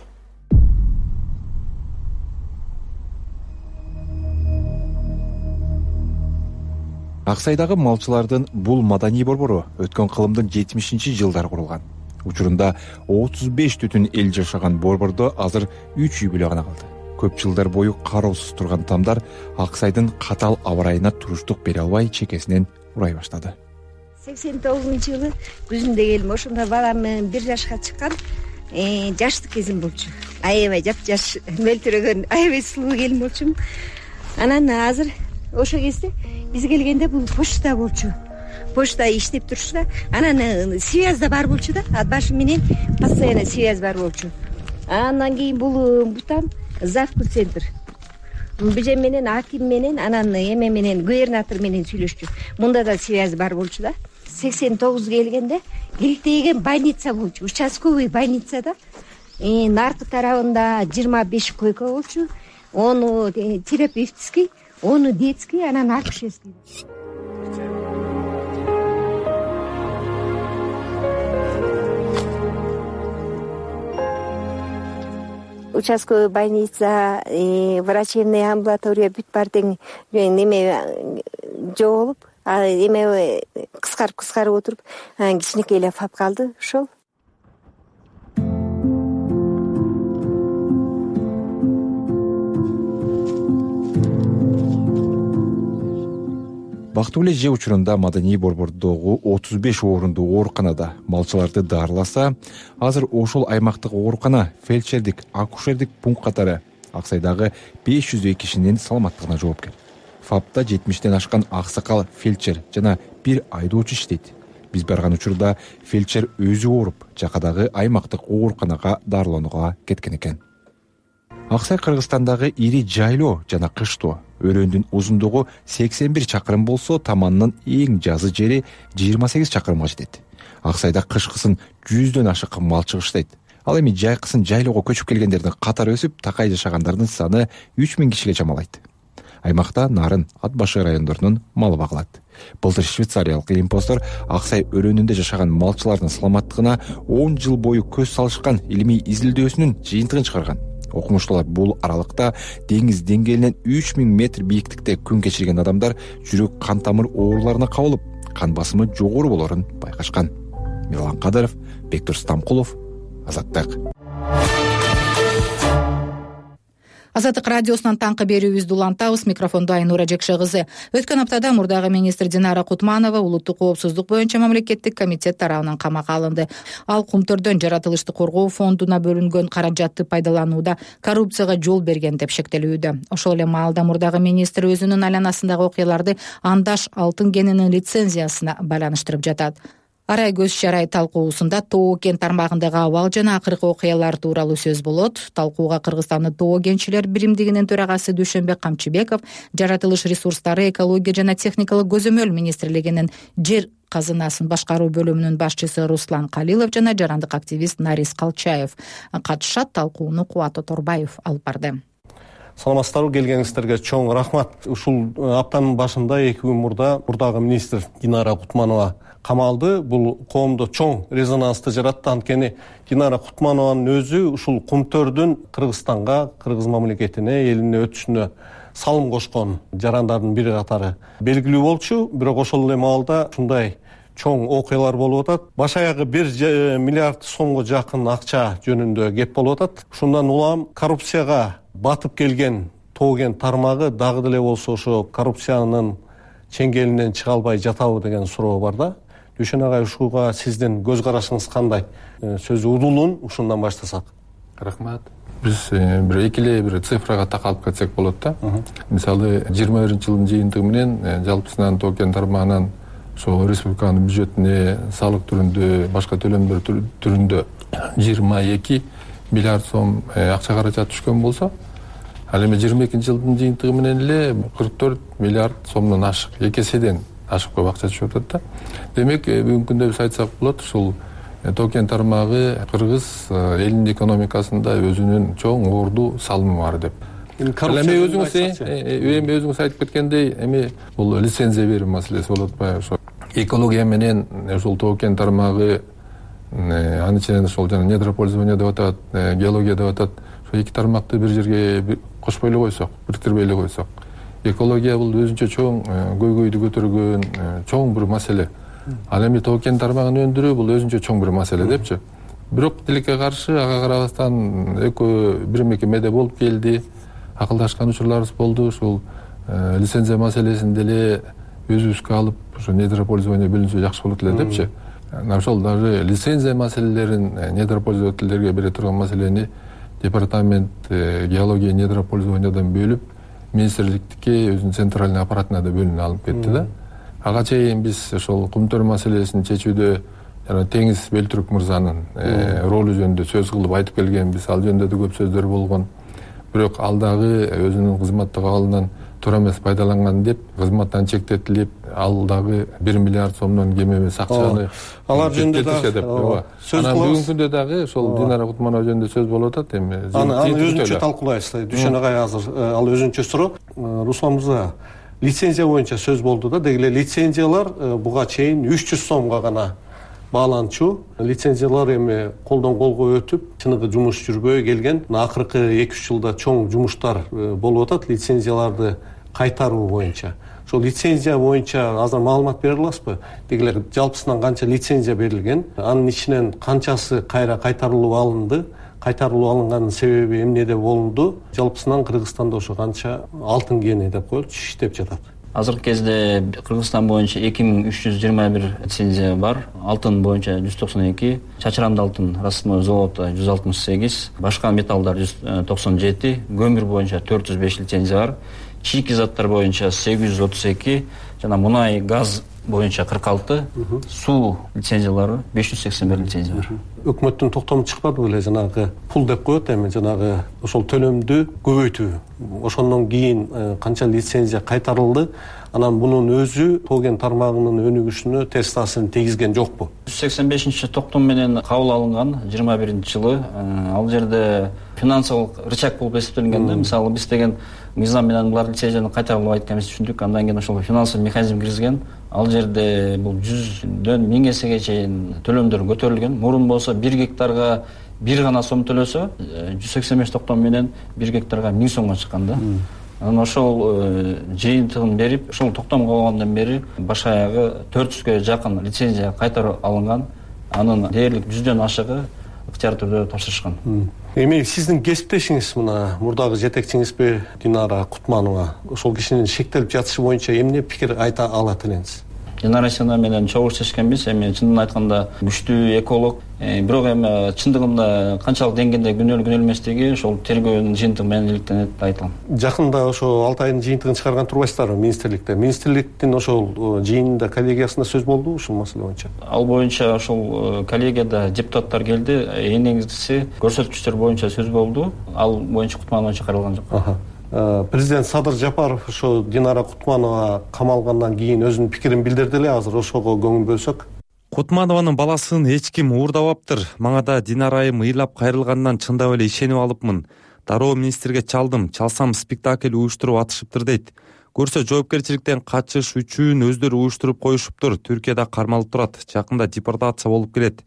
Аксайдагы малчылардын бул маданий борбору өткөн кылымдын жетимишинчи жылдары курулган. Учурунда отуз беш түтүн эл жашаган борбордо азыр үч үй бүлө гана калды. Көп жылдар бою кароосуз турган тамдар Аксайдын катаал аба ырайына туруштук бере албай чекесинен урай баштады. сексен тогузунчу жылы күзүндө келдим. Ошондо балам бир жашка чыккан, жаштык кезим болчу. Аябай жапжаш мөлтүрөгөн, аябай сулуу келин болчумун. Анан азыр ошол кезде биз келгенде бул почта болчу. Почта иштеп турчу да. Анан связь да бар болчу да. Ат башы менен постоянно связь бар болчу. Андан кийин бул бутан Завку центр. бж менен, аким менен, анан эме менен, губернатор менен сүйлөшчү. Мында да связь бар болчу да. сексен тогуз келгенде иликтеген больница болчу, участковый больницада. Наркы тарабында жыйырма беш койка болчу. Ону терапевтический, ону детский, анан акушерский. Участковый больница, врачебная амбулатория бүт бар тең неме жоголуп, эме кыскарып кыскарып отуруп, кичинекей эле фап калды ошол. Бактылуу эле же учурунда Маданий борбордогу отуз беш орунду ооруканада малчыларды даарыласа, азыр ошол аймактык оорукана фельдшердик, акушердик пункт катары Аксайдагы беш жүз кишинин саламаттыгына жоопкер. Фапта жетимиштен ашкан аксакал фельдшер жана бир айдоочу иштейт. Биз барган учурда фельдшер өзү ооруп, жакадагы аймактык ооруканага дарыланууга кеткен экен. Аксай Кыргызстандагы ири жайлоо жана кыштоо. Өрөөндүн узундугу сексен бир чакырым болсо, таманынын эң жазы жери жыйырма сегиз чакырымга жетет. Аксайда кышкысын жүздөн ашык малчы иштейт. Ал эми жайкысын жайлоого көчүп келгендердин катары өсүп, такай жашагандардын саны үч миң кишиге чамалайт. Аймакта нарын, ат башы райондорунун малы багылат. Былтыр швейцариялык илимпоздор Аксай өрөөнүндө жашаган малчылардын саламаттыгына он жыл бою көз салышкан илимий изилдөөсүнүн жыйынтыгын чыгарган. Окумуштуулар бул аралыкта деңиз деңгээлинен үч миң метр бийиктикте күн кечирген адамдар жүрөк кан тамыр ооруларына кабылып, кан басымы жогору болорун байкашкан. Мирлан Кадыров, Бектур Стамкулов, Азаттык. Азаттык радиосунан таңкы берүүбүздү улантабыз. Микрофондо Айнура Жекше кызы. Өткөн аптада мурдагы министр Динара Кутманова улуттук коопсуздук боюнча мамлекеттик комитет тарабынан камакка алынды. Ал Кумтөрдөн жаратылышты коргоо фондуна бөлүнгөн каражатты пайдаланууда коррупцияга жол берген деп шектелүүдө. Ошол эле маалда мурдагы министр өзүнүн айланасындагы окуяларды андаш алтын кенинин лицензиясына байланыштырып жатат. Арай көз чарай талкуусунда Тоо кен тармагындагы абал жана акыркы окуялар тууралуу сөз болот. Талкууга Кыргызстандын Тоо кенчилер биримдигинин төрагасы Дүйшөнбек Камчыбеков, жаратылыш ресурстары, экология жана техникалык көзөмөл министрлигинин жер казынасын башкаруу бөлүмүнүн башчысы Руслан Калилов жана жарандык активист Нарис Калчаев катышат. Талкууну Кубат Оторбаев алып барды. Саламатсыздарбы, келгениңиздерге чоң рахмат. Ушул аптанын башында эки күн мурда мурдагы министр Динара Кутманова камалды. Бул коомдо чоң резонансты жаратты. Анткени Динара Кутманованын өзү ушул Кумтөрдүн Кыргызстанга, кыргыз мамлекетине, элине өтүшүнө салым кошкон жарандардын бири катары белгилүү болчу. Бирок ошол эле маалда ушундай чоң окуялар болуп атат. Баш аягы бир миллиард сомго жакын акча жөнүндө кеп болуп атат. Ушундан улам коррупцияга батып келген Тоо кен тармагы дагы деле болсо ошо коррупциянын чеңгелинен чыга албай жатабы деген суроо бар да. Дүйшөн агай, ушуга сиздин көз карашыңыз кандай? Сөзү удулун ушундан баштасак. Рахмат. Биз бир эки эле бир цифрага такалып кетсек болот да. Мисалы жыйырма биринчи жылдын жыйынтыгы менен жалпысынан Тоо кен тармагынан ошо республиканын бюджетине салык түрүндө, башка төлөмдөр түрүндө жыйырма эки миллиард сом акча каражат түшкөн болсо, ал эми жыйырма экинчи жылдын жыйынтыгы менен эле кырк төрт миллиард сомдон ашык, эки эседен ашык көп акча түшүп атат да. Демек, бүгүнкү күндө биз айтсак болот, ушул Тоо кен тармагы кыргыз элинин экономикасында өзүнүн чоң орду салымы бар деп. Ал эми өзүңүз эми өзүңүз айтып кеткендей, эми бул лицензия берүү маселеси болуп атпайбы? Ошо экология менен ушул Тоо кен тармагы, анын ичинен ошол жана недропользование деп атат, геология деп атат. Ошо эки тармакты бир жерге кошпой эле койсок, бириктирбей эле койсок, экология бул өзүнчө чоң көйгөйдү көтөргөн чоң бир маселе. Ал эми Тоо кен тармагын өндүрүү бул өзүнчө чоң бир маселе депчи. Бирок тилекке каршы ага карабастан экөө бир мекемеде болуп келди, акылдашкан учурларыбыз болду. Ушул лицензия маселесин деле өзүбүзгө алып, ошо недропользование бөлүнсө жакшы болот эле депчи. Ошол даже лицензия маселелерин недропользовательдерге бере турган маселени департамент геология недропользованиядан бөлүп, министрликтикке өзүнүн центральный аппаратына да бөлүнүп алып кетти да. Ага чейин биз ошол Кумтөр маселесин чечүүдө жана Теңиз Белтүрк мырзанын ролу жөнүндө сөз кылып айтып келгенбиз. Ал жөнүндө да көп сөздөр болгон. бирок ал дагы өзүнүн кызматтык абалынан туура эмес пайдаланган деп кызматтан чектетилип, ал дагы бир миллиард сомдон кем эмес акчаны алар жөнүндө дагы сөз кылабыз. Анан бүгүнкү күндө дагы ошол Динара Кутманова жөнүндө сөз болуп атат. Эми аны өзүнчө талкуулайбыз. Дүйшөн агай азыр ал өзүнчө суроо. Руслан мырза, лицензия боюнча сөз болду да, деги эле лицензиялар буга чейин үч жүз сомго гана бааланчу. Лицензиялар эми колдон колго өтүп, чыныгы жумуш жүрбөй келген. Акыркы эки үч жылда чоң жумуштар болуп атат лицензияларды кайтаруу боюнча. Ошол лицензия боюнча азыр маалымат бере аласызбы? Деги эле жалпысынан канча лицензия берилген? Анын ичинен канчасы кайра кайтарылып алынды? Кайтарылып алынганын себеби эмнеде болду? Жалпысынан Кыргызстанда ошо канча алтын кени деп коелучу иштеп жатат? Азыркы кезде Кыргызстан боюнча эки миң үч жүз жыйырма бир лицензия бар. Алтын боюнча жүз токсон эки, чачырамды алтын расценной золото жүз алтымыш сегиз, башка металлдар жүз токсон жети, көмүр боюнча төрт жүз беш лицензия бар. Чийки заттар боюнча сегиз жүз отуз эки, жана мунай, газ боюнча кырк алты, суу лицензиялары беш жүз сексен бир лицензия бар. Өкмөттүн токтому чыкпады беле, жанагы пул деп коет эми, жанагы ошол төлөмдү көбөйтүү. Ошондон кийин канча лицензия кайтарылды? Анан бунун өзү тоген тармагынын өнүгүшүнө терс таасирин тийгизген жокпу? жүз сексен бешинчи токтом менен кабыл алынган жыйырма биринчи жылы. Ал жерде финансылык рычаг болуп эсептелинген да. Мисалы биз деген мыйзам менен булар лицензияны кайтарылбайт экенин түшүндүк. Андан кийин ошол финансылык механизм киргизген. Ал жерде бул жүздөн миң эсеге чейин төлөмдөр көтөрүлгөн. Мурун болсо бир гектарга бир гана сом төлөсө, жүз сексен беш токтом менен бир гектарга миң сомго чыккан да. Анан ошол жыйынтыгын берип, ошол токтом калгандан бери баш аягы төрт жүзгө жакын лицензия кайтарып алынган. Анын дээрлик жүздөн ашыгы ыктыяр түрдө тапшырышкан. Эми сиздин кесиптешиңиз, мына мурдагы жетекчиңизби Динара Кутманова, ошол кишинин шектелип жатышы боюнча эмне пикир айта алат элеңиз? Динара Сина менен чогуу иштешкенбиз. Эми чындын айтканда күчтүү эколог. Бирок эми чындыгында канчалык деңгээлде күнөөлүү күнөөлүү эместиги ошол тергөөнүн жыйынтыгы менен иликтенет деп айтылам. Жакында ошо алты айдын жыйынтыгын чыгарган турбайсыздарбы министрликте? Министрликтин ошол жыйынында, коллегиясында сөз болду ушул маселе боюнча? Ал боюнча ошол коллегияда депутаттар келди. Эң негизгиси көрсөткүчтөр боюнча сөз болду. Ал боюнча Кутманова чакырылган жок. Президент Садыр Жапаров ошо Динара Кутманова камалгандан кийин өзүнүн пикирин билдирди эле. Азыр ошого көңүл бөлсөк. Кутманованын баласын эч ким уурдабаптыр. Мага да Динарайым ыйлап кайрылгандан чындап эле ишенип алыпмын. Дароо министрге чалдым, чалсам спектакль уюштуруп атышыптыр дейт. Көрсө жоопкерчиликтен качыш үчүн өздөрү уюштуруп коюшуптур. Түркияда кармалып турат. Жакында депортация болуп келет.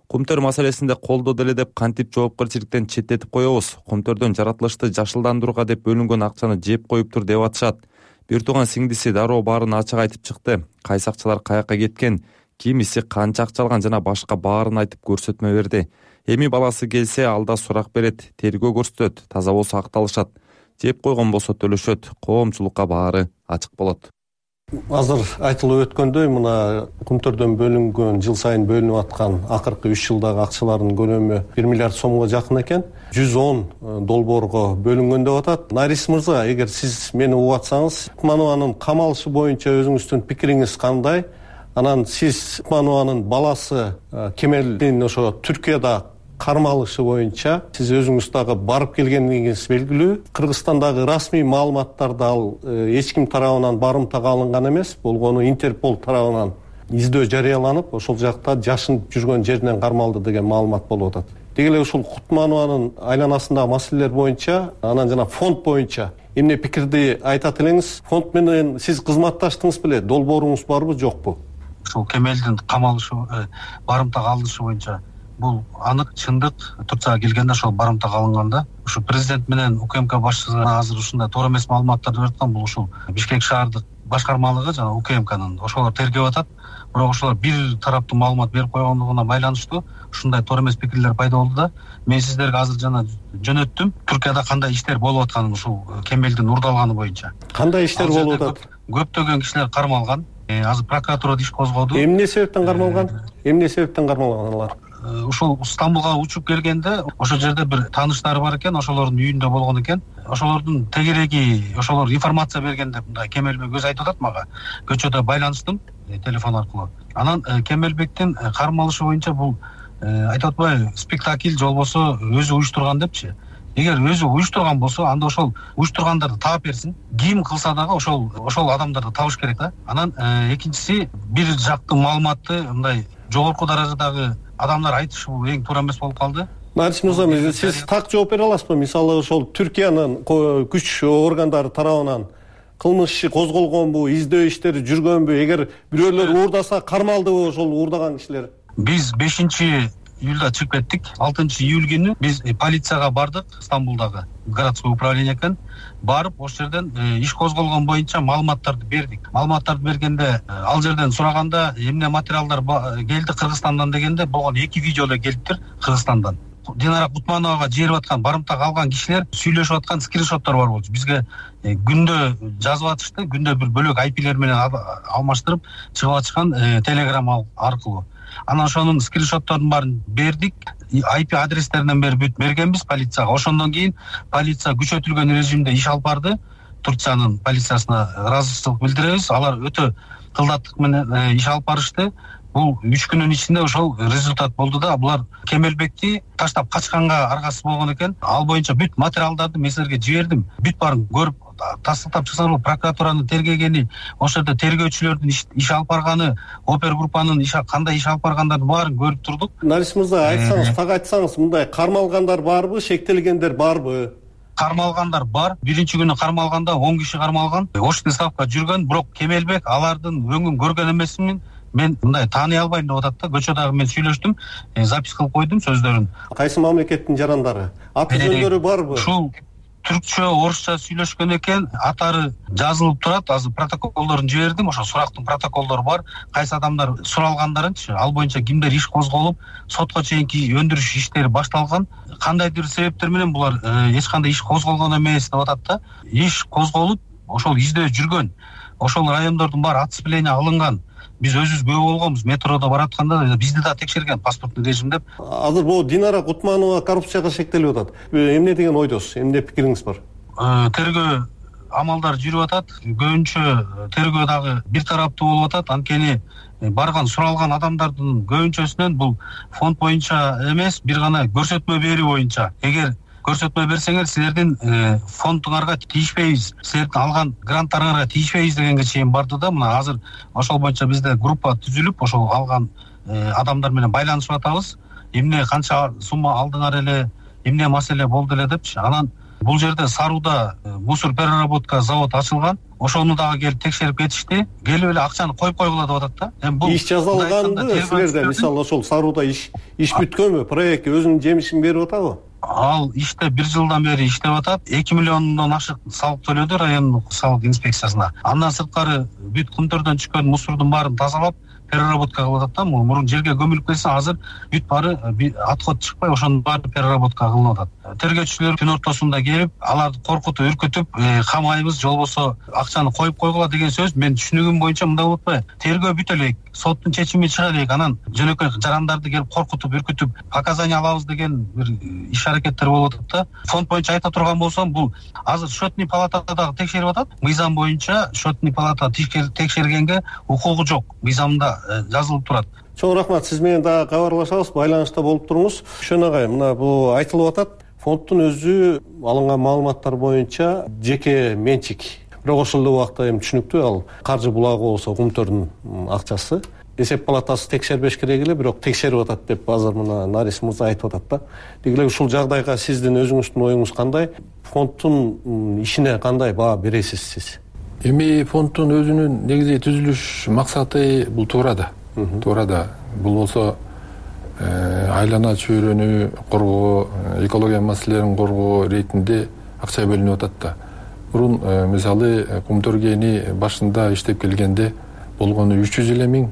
Кумтөр маселесинде колдоо деле деп кантип жоопкерчиликтен четтетип коебуз. Кумтөрдөн жаратылышты жашылдандырууга деп бөлүнгөн акчаны жеп коюптур деп атышат. Бир тууган сиңдиси дароо баарын ачык айтып чыкты. Кайсы акчалар каяка кеткен, кимиси канча акча алган жана башка баарын айтып көрсөтмө берди. Эми баласы келсе алда сурак берет, тергөө көрсөтөт, таза болсо акталышат. Жеп койгон болсо төлөшөт, коомчулукка баары ачык болот. Азыр айтылып өткөндөй, мына Кумтөрдөн бөлүнгөн, жыл сайын бөлүнүп аткан акыркы үч жылдагы акчалардын көлөмү бир миллиард сомго жакын экен. жүз он долбоорго бөлүнгөн деп атат. Нарис мырза, эгер сиз мени угуп атсаңыз, Кутманованын камалышы боюнча өзүңүздүн пикириңиз кандай? Анан сиз Кутманованын баласы Кемелдин ошо Түркияда кармалышы боюнча сиз өзүңүз дагы барып келгениңиз белгилүү. Кыргызстандагы расмий маалыматтарда ал эч ким тарабынан барымтага алынган эмес, болгону Интерпол тарабынан издөө жарыяланып, ошол жакта жашынып жүргөн жеринен кармалды деген маалымат болуп атат. Деги эле ушул Кутманованын айланасындагы маселелер боюнча, анан жана фонд боюнча эмне пикирди айтат элеңиз? Фонд менен сиз кызматташтыңыз беле? Долбооруңуз барбы, жокпу? Ушул Кемелдин камалышы, барымтага алынышы боюнча бул анык, чындык. Турцияга келгенде ошол барымтага алынганда, ушу президент менен УКМК башчысы азыр ушундай туура эмес маалыматтарды берип аткан. Бул ушул Бишкек шаардык башкармалыгы жана УКМКнын ошолор тергеп атат. Бирок ошолор бир тараптуу маалымат берип койгондугуна байланыштуу ушундай туура эмес пикирлер пайда болду да. Мен сиздерге азыр жана жөнөттүм. Түркияда кандай иштер болуп атканын ушул Кемелдин урдалганы боюнча. Кандай иштер болуп атат? Көптөгөн кишилер кармалган. Азыр прокуратурада иш козгоду. Эмне себептен кармалган? Эмне себептен кармалган алар? Ушул Стамбулга учуп келгенде ошол жерде бир тааныштары бар экен, ошолордун үйүндө болгон экен. Ошолордун тегереги, ошолор информация бергенде мындай Кемелбек өзү айтып атат мага. Көчөдө байланыштым телефон аркылуу. Анан Кемелбектин кармалышы боюнча бул айтып атпайбы, спектакль же болбосо өзү уюштурган депчи. эгер өзү уюштурган болсо анда ошол уюштургандарды таап берсин. Ким кылса дагы ошол ошол адамдарды табыш керек да. Анан экинчиси бир жактуу маалыматты мындай жогорку даражадагы адамдар айтышы бул эң туура эмес болуп калды. Нарис мырза, сиз так жооп бере аласызбы? Мисалы ошол Түркиянын күч органдары тарабынан кылмыш иши козголгонбу, издөө иштери жүргөнбү? Эгер бирөөлөр уурдаса кармалдыбы ошол уурдаган кишилер? Биз бешинчи июлда чыгып кеттик. алтынчы июль күнү биз полицияга бардык, Стамбулдагы городской управление экен. Барып, ошол жерден иш козголгон боюнча маалыматтарды бердик. Маалыматтарды бергенде, ал жерден сураганда, эмне материалдар келди Кыргызстандан дегенде, болгон эки видео эле келиптир Кыргызстандан. Динара Кутмановага жиберип аткан, барымтак алган кишилер сүйлөшүп аткан скриншоттор бар болчу. Бизге күндө жазып атышты, күндө бир бөлөк ай пилер менен алмаштырып чыгып атышкан телеграмма аркылуу. Анан ошонун скриншотторун баарын бердик. ай пи адрестеринен бери бүт бергенбиз полицияга. Ошондон кийин полиция күчөтүлгөн режимде иш алып барды. Турциянын полициясына ыраазычылык билдиребиз. Алар өтө кылдаттык менен иш алып барышты. Бул үч күнүн ичинде ошол результат болду да. Булар Кемелбекти таштап качканга аргасыз болгон экен. Ал боюнча бүт материалдарды мен силерге жибердим. Бүт баарын көрүп тастыктап чыксаңыз, прокуратуранын тергегени, ошол жерде тергөөчүлөрдүн иш алып барганы, опергруппанын кандай иш алып баргандарын баарын көрүп турдук. Нарис мырза, айтсаңыз, так айтсаңыз, мындай кармалгандар барбы, шектелгендер барбы? Кармалгандар бар. Биринчи күнү кармалганда он киши кармалган. Очный ставка жүргөн, бирок Кемелбек алардын өңүн көргөн эмесмин. Мен мындай тааный албайм деп атат да. Көчөдөгү мен сүйлөштүм, запись кылып койдум сөздөрүн. Кайсы мамлекеттин жарандары? Аты жөндөрү барбы? Ушул түркчө, орусча сүйлөшкөн экен. Атары жазылып турат. Азыр протоколдорун жибердим. Ошо сурактын протоколдору бар. Кайсы адамдар суралгандарынчы, ал боюнча кимдер иш козголуп, сотко чейинки өндүрүш иштери башталган. Кандайдыр себептер менен булар эч кандай иш козголгон эмес деп атат да. Иш козголуп, ошол издөө жүргөн. Ошол райондордун баары отцепление алынган. Биз өзүбүз күбө болгонбуз. Метрода баратканда бизди да текшерген паспорттуу режим деп. Азыр бул Динара Кутманова коррупцияга шектелип атат. Эмне деген ойдосуз? Эмне пикириңиз бар? Тергөө амалдар жүрүп атат. Көбүнчө тергөө дагы бир тараптуу болуп атат. Анткени барган суралган адамдардын көбүнчөсүнөн бул фонд боюнча эмес, бир гана көрсөтмө берүү боюнча. Эгер көрсөтмө берсеңер, силердин фондуңарга тийишпейбиз, силердин алган гранттарыңарга тийишпейбиз дегенге чейин барды да. Мына азыр ошол боюнча бизде группа түзүлүп, ошол алган адамдар менен байланышып атабыз. Эмне канча сумма алдыңар эле, эмне маселе болду эле депчи. Анан бул жерде Саруда мусор переработка завод ачылган. Ошону дагы келип текшерип кетишти. Келип эле акчаны коюп койгула деп атат да. Бул иш жазылганды силерде, мисалы ошол Саруда иш иш бүткөнбү? Проект өзүнүн жемишин берип атабы? Ал иште бир жылдан бери иштеп атат. эки миллиондон ашык салык төлөдү райондук салык инспекциясына. Андан сырткары бүт кумтөрдөн түшкөн мусордун баарын тазалап, переработка кылып атат да. Мурун жерге көмүлүп кетсе, азыр бүт баары отход чыкпай, ошонун баары переработка кылынып атат. Тергөөчүлөр күн ортосунда келип, аларды коркутуп, үркүтүп, камайбыз, же болбосо акчаны коюп койгула деген сөз. Мен түшүнүгүм боюнча мындай болуп атпайбы? Тергөө бүтө элек, соттун чечими чыга элек, анан жөнөкөй жарандарды келип коркутуп, үркүтүп, показания алабыз деген бир иш аракеттер болуп атат да. Фонд боюнча айта турган болсом, бул азыр счетный палатада дагы текшерип атат. Мыйзам боюнча счетный палата текшергенге укугу жок. Мыйзамда жазылып турат. Чоң рахмат, сиз менен дагы кабарлашабыз, байланышта болуп туруңуз. Шөн агай, мына бул айтылып атат. Фонддун өзү алынган маалыматтар боюнча жеке менчик. Бирок ошол эле убакта эми түшүнүктүү, ал каржы булагы болсо кумтөрдүн акчасы. Эсеп палатасы текшербеш керек эле, бирок текшерип атат деп азыр мына Нарис мырза айтып атат да. Деги эле ушул жагдайга сиздин өзүңүздүн оюңуз кандай? Фонддун ишине кандай баа бересиз сиз? Эми фонддун өзүнүн негизи түзүлүш максаты бул туура да. Туура да. Бул болсо айлана чөйрөнү коргоо, экология маселелерин коргоо иретинде акча бөлүнүп атат да. Мурун мисалы кумтөргени башында иштеп келгенде болгону үч жүз элүү миң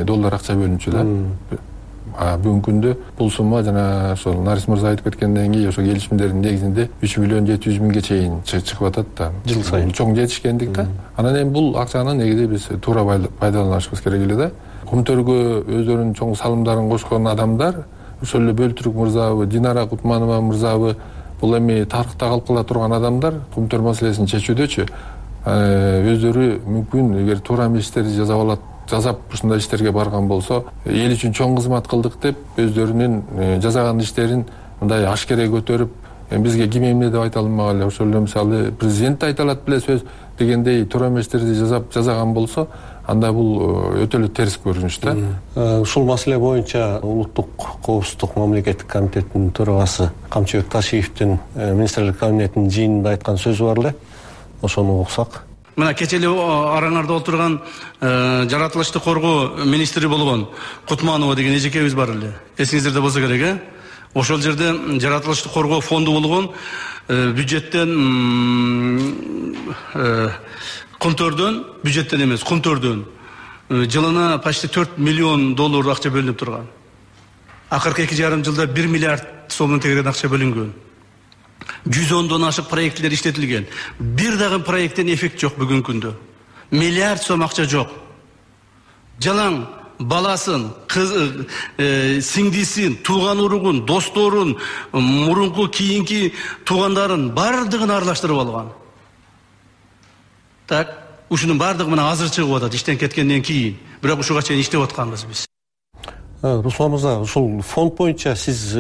доллар акча бөлүнчү да. А бүгүнкү күндө бул сумма жана ошол Нарис мырза айтып кеткенден кийин ошо келишимдердин негизинде үч миллион жети жүз миңге чейин чыгып атат да. Жыл сайын чоң жетишкендик да. Анан эми бул акчаны негизи биз туура пайдаланышыбыз керек эле да. Кумтөргө өздөрүнүн чоң салымдарын кошкон адамдар, ошол эле Бөлтүрүк мырзабы, Динара Кутманова мырзабы, бул эми тарыхта калып кала турган адамдар кумтөр маселесин чечүүдөчү өздөрү мүмкүн эгер туура эместерди жасап алат, жасап ушундай иштерге барган болсо, эл үчүн чоң кызмат кылдык деп өздөрүнүн жасаган иштерин мындай ашкере көтөрүп, бизге ким эмне деп айта алмак эле. Ошол эле мисалы президент да айта алат беле сөз дегендей туура эместерди жасап жасаган болсо, анда бул өтө эле терс көрүнүш да. Ушул маселе боюнча улуттук коопсуздук мамлекеттик комитетинин төрагасы Камчыбек Ташиевдин министрлер кабинетинин жыйынында айткан сөзү бар эле. Ошону уксак. Мына кече эле араңарда отурган жаратылышты коргоо министри болгон Кутманова деген эжекебиз бар эле. Эсиңиздерде болсо керек, э? Ошол жерде жаратылышты коргоо фонду болгон бюджеттен контордон, бюджеттен эмес, контордон жылына почти төрт миллион доллар акча бөлүнүп турган. Акыркы эки жарым жылда бир миллиард сомдон тегерен акча бөлүнгөн. жүз ондон ашык проекттер иштетилген. Бир дагы проекттен эффект жок бүгүнкү күндө. Миллиард сом акча жок. Жалаң баласын, кыз, э, сиңдисин, тууган уругун, досторун, мурунку кийинки туугандарын бардыгын аралаштырып алган. Так, ушунун бардыгы мына азыр чыгып атат иштен кеткенден кийин. Бирок ушуга чейин иштеп атканбыз биз. Руслан мырза, ушул фонд боюнча сиз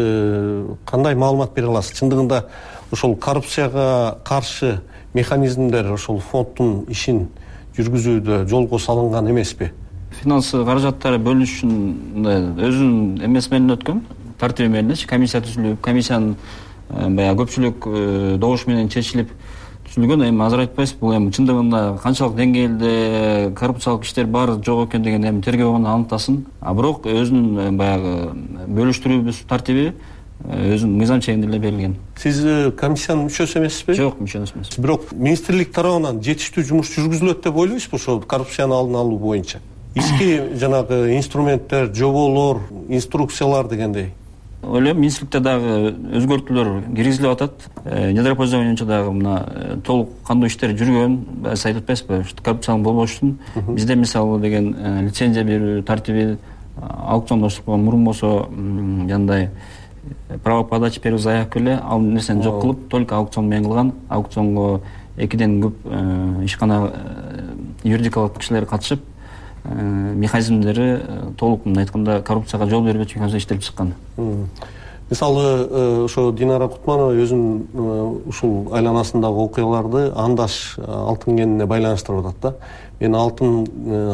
кандай маалымат бере аласыз? Чындыгында ушул коррупцияга каршы механизмдер ушул фонддун ишин жүргүзүүдө жолго салынган эмеспи? Финансы каражаттары бөлүнүш үчүн өзүнүн эмеси менен өткөн, тартиби менен комиссия түзүлүп, комиссиянын баягы көпчүлүк добуш менен чечилип түзүлгөн. Эми азыр айтпайсыз, бул эми чындыгында канчалык деңгээлде коррупциялык иштер бар жок экен деген эми тергөө гана аныктасын. А бирок өзүнүн баягы бөлүштүрүүбүз тартиби өзүнүн мыйзам чегинде эле берилген. Сиз комиссиянын мүчөсү эмессизби? Жок, мүчө эмесмин. Бирок министрлик тарабынан жетиштүү жумуш жүргүзүлөт деп ойлойсузбу ошол коррупцияны алдын алуу боюнча? Ички жанагы инструменттер, жоболор, инструкциялар дегендей. Ойлойм, министрликте дагы өзгөртүүлөр киргизилип атат. Недропользованиече дагы мына толук кандуу иштер жүргөн. Сиз айтып атпайсызбы, коррупциянын болбош үчүн бизде мисалы деген лицензия берүү тартиби, аукциондоштук мурун болсо жандай право подачи первой заявки эле ал нерсени жок кылып, только аукцион менен кылган. Аукционго экиден көп ишкана юридикалык кишилер катышып, механизмдери толук мындай айтканда коррупцияга жол бербечү механизм иштелип чыккан. Мисалы ошо Динара Кутманова өзүнүн ушул айланасындагы окуяларды андаш алтын кенине байланыштырып атат да. Мен алтын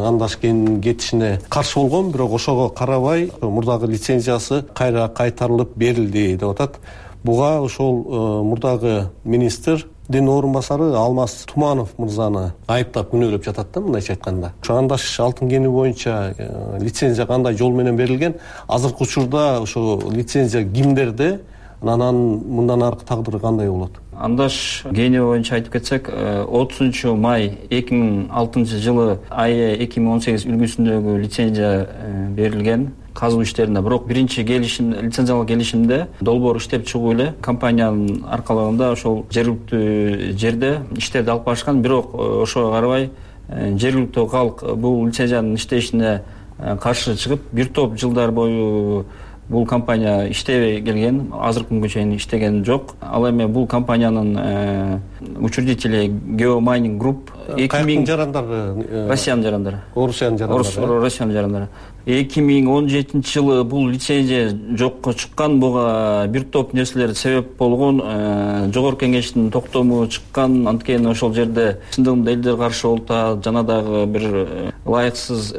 андаш кенинин кетишине каршы болгом, бирок ошого карабай мурдагы лицензиясы кайра кайтарылып берилди деп атат. Буга ошол мурдагы министрдин орун басары Алмаз Туманов мырзаны айыптап күнөөлөп жатат да, мындайча айтканда. Ошо андаш алтын кени боюнча лицензия кандай жол менен берилген? Азыркы учурда ошо лицензия кимдерде? Анан мындан аркы тагдыры кандай болот? Андаш кени боюнча айтып кетсек, отузунчу май эки миң алтынчы жылы АЭ эки миң он сегиз үлгүсүндөгү лицензия берилген казуу иштерине. Бирок биринчи келишим, лицензиялык келишимде долбоор иштеп чыгуу эле компаниянын аркалыгында ошол жергиликтүү жерде иштерди алып барышкан. Бирок ошого карабай жергиликтүү калк бул лицензиянын иштешине каршы чыгып, бир топ жылдар бою бул компания иштебей келген, азыркы күнгө чейин иштеген жок. Ал эми бул компаниянын учредители Geomaining Group эки миң жарандары, Россиянын жарандары. Орусиянын жарандары. Россиянын жарандары. эки миң он жетинчи жылы бул лицензия жокко чыккан, буга бир топ нерселер себеп болгон. Жогорку кеңештин токтому чыккан, анткени ошол жерде чындыгында элдер каршы болуп, жана дагы бир ылайыксыз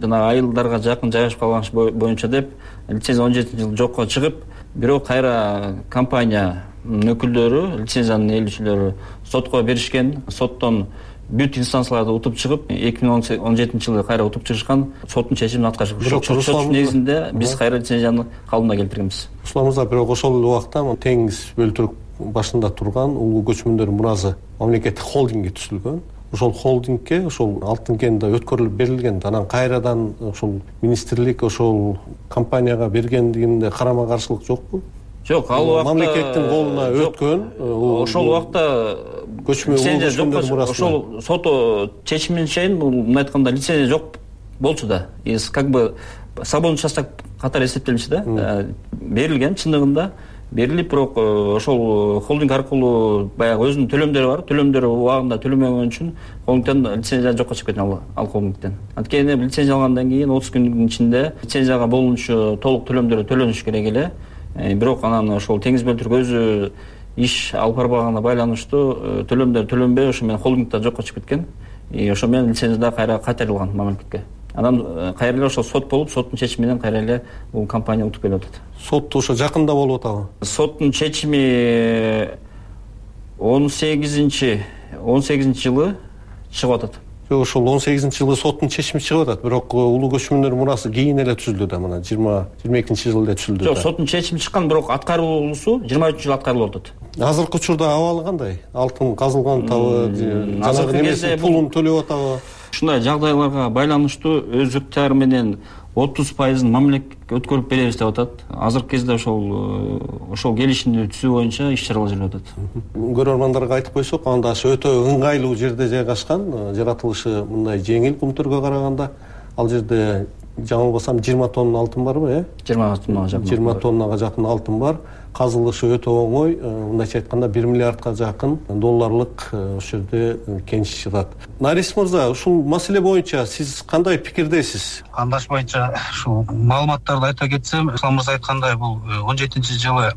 жана айылдарга жакын жайгашып калган боюнча деп лицензия он жетинчи жылы жокко чыгып, бирок кайра компания өкүлдөрү, лицензиянын ээлүүчүлөрү сотко беришкен. Соттон бүт инстанцияларды утуп чыгып, эки миң он жетинчи жылы кайра утуп чыгышкан, соттун чечимин аткарышып. Сот негизинде биз кайра лицензияны калыбына келтиргенбиз. Руслан мырза, бирок ошол эле убакта теңиз бөлтүрүк башында турган Улуу көчмөндөр муразы мамлекеттик холдинги түзүлгөн. Ошол холдингке ошол алтын кен да өткөрүлүп берилген. Анан кайрадан ошол министрлик ошол компанияга бергендигинде карама каршылык жокпу? Жок, ал убакта мамлекеттин колуна өткөн. Ошол убакта лицензия жок. Ошол сот чечимине чейин бул мындай айтканда лицензия жок болчу да. Как бы свободный участок катары эсептелчү да. Берилген, чындыгында берилип, бирок ошол холдинг аркылуу баягы өзүнүн төлөмдөрү бар. Төлөмдөрү убагында төлөмөгөн үчүн холдингден лицензия жокко чыгып кеткен ал холдингден. Анткени лицензия алгандан кийин отуз күндүн ичинде лицензияга болуучу толук төлөмдөрү төлөнүш керек эле. Бирок анан ошол теңиз бөлтүрүк өзү иш алып барбаганына байланыштуу төлөмдөр төлөнбөй ошо менен холдингда жокко чыгып кеткен. И ошо менен лицензия да кайра кайтарылган мамлекетке. Анан кайра эле ошо сот болуп, соттун чечими менен кайра эле бул компания утуп келип атат. Сот ошо жакында болуп атабы? Соттун чечими он сегизинчи он сегизинчи жылы чыгып атат. Жок, ошол он сегизинчи жылы соттун чечими чыгып атат. Бирок улуу көчмөндөр мурасы кийин эле түзүлдү да, мына жыйырма жыйырма экинчи жылда түзүлдү. Жок, соттун чечими чыккан, бирок аткаруусу жыйырма үчүнчү жылы аткарылып атат. Азыркы учурда абалы кандай? Алтын казылган табы, жанагы немесин пулун төлөп атабы? Ушундай жагдайларга байланыштуу өз ыктыяры менен отуз пайызын мамлекетке өткөрүп беребиз деп атат. Азыркы кезде ошол ошол келишимди түзүү боюнча иш чаралар жүрүп атат. Көрөрмандарга айтып койсок, анда өтө ыңгайлуу жерде жайгашкан, жаратылышы мындай жеңил Кумтөргө караганда. Ал жерде жаңылбасам жыйырма тонна алтын барбы, э? жыйырма тоннага жакын. жыйырма тоннага жакын алтын бар. Казылышы өтө оңой, мындайча айтканда бир миллиардка жакын долларлык ошол жерде кениш жатат. Нарис мырза, ушул маселе боюнча сиз кандай пикирдесиз? Кандаш боюнча ушул маалыматтарды айта кетсем, Ислам мырза айткандай, бул он жетинчи жылы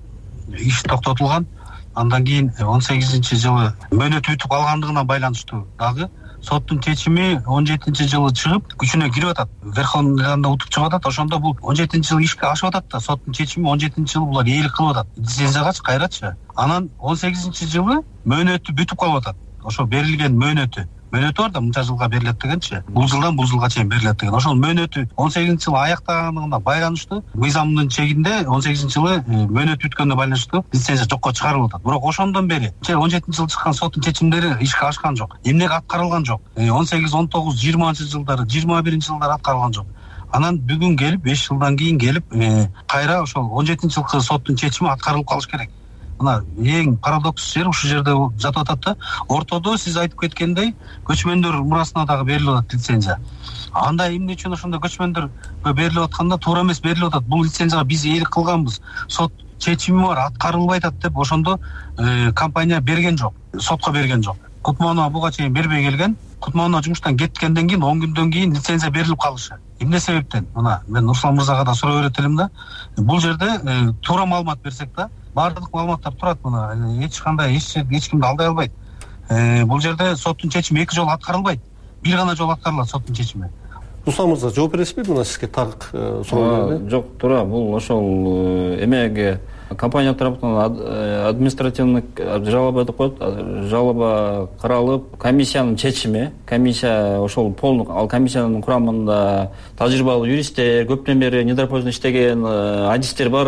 иш токтотулган. Андан кийин он сегизинчи жылы мөөнөт бүтүп калгандыгына байланыштуу дагы соттун чечими он жетинчи жылы чыгып, күчүнө кирип атат. Верховныйда утуп чыгып атат. Ошондо бул он жетинчи жылы ишке ашып атат да, соттун чечими он жетинчи жылы булар ээлик кылып атат. Лицензиягачы кайрачы. Анан он сегизинчи жылы мөөнөтү бүтүп калып атат. Ошо берилген мөөнөтү мөөнөтү бар да, мынча жылга берилет дегенчи. Бул жылдан бул жылга чейин берилет деген. Ошол мөөнөтү он сегизинчи жылы аяктаганына байланыштуу мыйзамдын чегинде он сегизинчи жылы мөөнөт бүткөнүнө байланыштуу лицензия жокко чыгарылып атат. Бирок ошондон бери он жетинчи жылы чыккан соттун чечимдери ишке ашкан жок. Эмнеге аткарылган жок? он сегиз, он тогуз, жыйырманчы жылдары, жыйырма биринчи жылдары аткарылган жок. Анан бүгүн келип, беш жылдан кийин келип, кайра ошол он жетинчи жылкы соттун чечими аткарылып калыш керек. Мына эң парадокс жер ушул жерде жатып атат да. Ортодо сиз айтып кеткендей, көчмөндөр мурасына дагы берилип атат лицензия. Анда эмне үчүн ошондо көчмөндөргө берилип атканда туура эмес берилип атат. Бул лицензияга биз ээлик кылганбыз. Сот чечими бар, аткарылбай атат деп ошондо компания берген жок, сотко берген жок. Кутманова буга чейин бербей келген. Кутманова жумуштан кеткенден кийин он күндөн кийин лицензия берилип калышы. Эмне себептен? Мына мен Руслан мырзага да суроо берет элем да. Бул жерде туура маалымат берсек да, баардык маалыматтар турат, мына эч кандай эч эч кимди алдай албайт. Бул жерде соттун чечими эки жолу аткарылбайт. Бир гана жолу аткарылат соттун чечими. Руслан мырза, жооп бересизби мына сизге так суроо? Жок, туура. Бул ошол эмеге компания тарапынан административный жалоба деп коет. Жалоба каралып, комиссиянын чечими, комиссия ошол полный, ал комиссиянын курамында тажрыйбалуу юристтер, көптөн бери недропользовно иштеген адистер бар.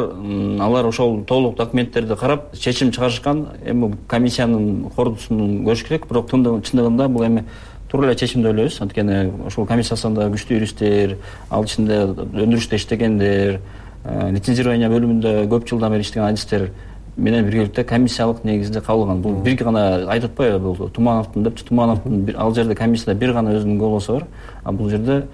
Алар ошол толук документтерди карап, чечим чыгарышкан. Эми комиссиянын кордусун көрүш керек, бирок чындыгында бул эми туура эле чечим деп ойлойбуз. Анткени ошол комиссиясында күчтүү юристтер, ал ичинде өндүрүштө иштегендер, лицензирование бөлүмүндө көп жылдан бери иштеген адистер менен биргеликте комиссиялык негизде кабылган. Бул бир гана айтып атпайбы, бул Тумановдун депчи, Тумановдун ал жерде комиссияда бир гана өзүнүн голосу бар. А бул жерде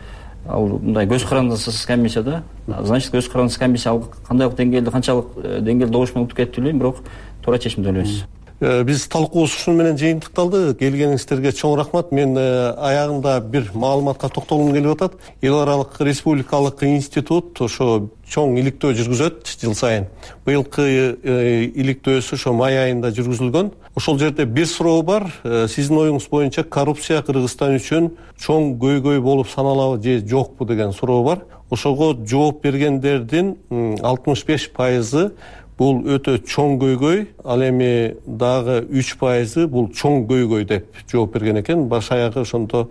ал мындай көз карандысыз комиссияда, значит көз карандысыз комиссия кандайлык деңгээлде, канчалык деңгээлде добуш менен утуп кетти билбейм, бирок туура чечим деп ойлойбуз. Биз талкуубуз ушуну менен жыйынтыкталды. Келгениңиздерге чоң рахмат. Мен аягында бир маалыматка токтолгум келип атат. Эл аралык республикалык институт ошо чоң иликтөө жүргүзөт жыл сайын. Быйылкы иликтөөсү ошо май айында жүргүзүлгөн. Ошол жерде бир суроо бар. Сиздин оюңуз боюнча коррупция Кыргызстан үчүн чоң көйгөй болуп саналабы же жокпу деген суроо бар. Ошого жооп бергендердин алтымыш беш пайызы бул өтө чоң көйгөй, ал эми дагы үч пайызы бул чоң көйгөй деп жооп берген экен. Баш аягы ошондо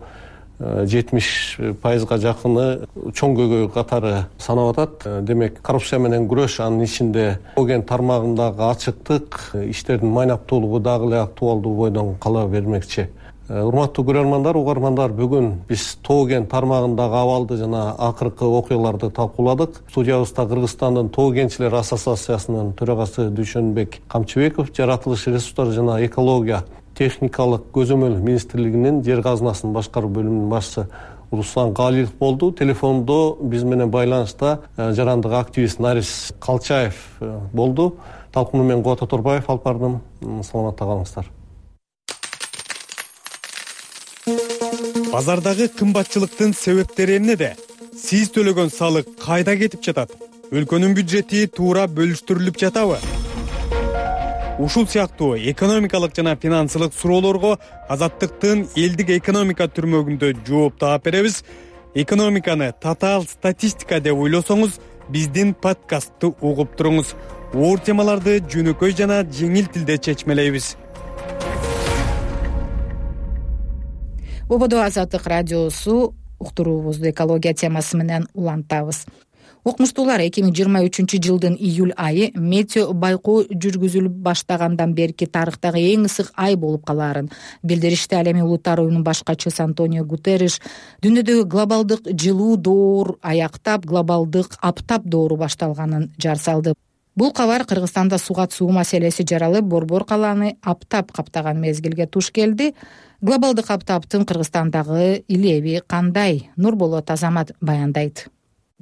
жетимиш пайызга жакыны чоң көйгөй катары санап атат. Демек, коррупция менен күрөш, анын ичинде Тоген тармагындагы ачыктык, иштердин майнаптуулугу дагы эле актуалдуу бойдон кала бермекчи. Урматтуу көрөрмандар, угармандар, бүгүн биз Тоген тармагындагы абалды жана акыркы окуяларды талкууладык. Студиябызда Кыргызстандын Тоо кенчилер ассоциациясынын төрагасы Дүйшөнбек Камчыбеков, жаратылыш ресурстары жана экология техникалык көзөмөл министрлигинин жер казынасын башкаруу бөлүмүнүн башчысы Руслан Галилов болду. Телефондо биз менен байланышта жарандык активист Нарис Калчаев болду. Талкууну мен Кубат Оторбаев алып бардым. Саламатта калыңыздар. Базардагы кымбатчылыктын себептери эмнеде? Сиз төлөгөн салык кайда кетип жатат? Өлкөнүн бюджети туура бөлүштүрүлүп жатабы? ушул сыяктуу экономикалык жана финансылык суроолорго Азаттыктын элдик экономика түрмөгүндө жооп таап беребиз. Экономиканы татаал статистика деп ойлосоңуз, биздин подкастты угуп туруңуз. Оор темаларды жөнөкөй жана жеңил тилде чечмелейбиз. Ободо Азаттык радиосу уктуруубузду экология темасы менен улантабыз. Окумуштуулар эки миң жыйырма үчүнчү жылдын июль айы метео байкоо жүргүзүлүп баштагандан берки тарыхтагы эң ысык ай болуп калаарын билдиришти. Ал эми Улуттар уюмунун башкачысы Антонио Гутерриш дүйнөдөгү глобалдык жылуу доор аяктап, глобалдык аптап доору башталганын жар салды. Бул кабар Кыргызстанда сугат суу маселеси жаралып, борбор калааны аптап каптаган мезгилге туш келди. Глобалдык аптаптын Кыргызстандагы илеби кандай? Нурболот Азамат баяндайт.